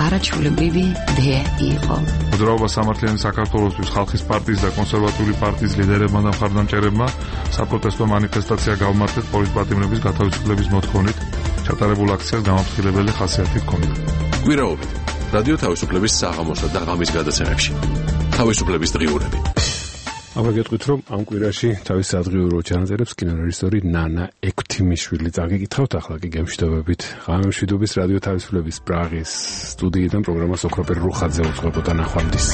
არაჩვეულებრივი დე იყო. მოძრაობა სამართლიანი საქართველოსთვის ხალხის პარტიის და კონსერვატიული პარტიის ლიდერებმა და მხარდამჭერებმა საპროტესტო მანიფესტაცია გავმართეთ პოლიტპატიმრების გათავისუფლების მოთხოვნით. ჩატარებულ აქციას გამაფრთხილებელი ხასიათი ჰქონდა. კვირაობით რადიო თავისუფლების საღამოსა და ღამის გადაცემებში. თავისუფლების დღიურები. აღარ გეტყვით, რომ ამ კვირაში თავის სადღიურო ჩანაწერებს კინორეჟისორი ნანა ექვთიმიშვილი წაგიკითხავთ, ახლა კი გემშვიდობებით. ღამე მშვიდობის რადიო თავისუფლების პრაღის სტუდიიდან პროგრამას ოქროპერ რუხაძე უძღვებოდა ნახვამდის.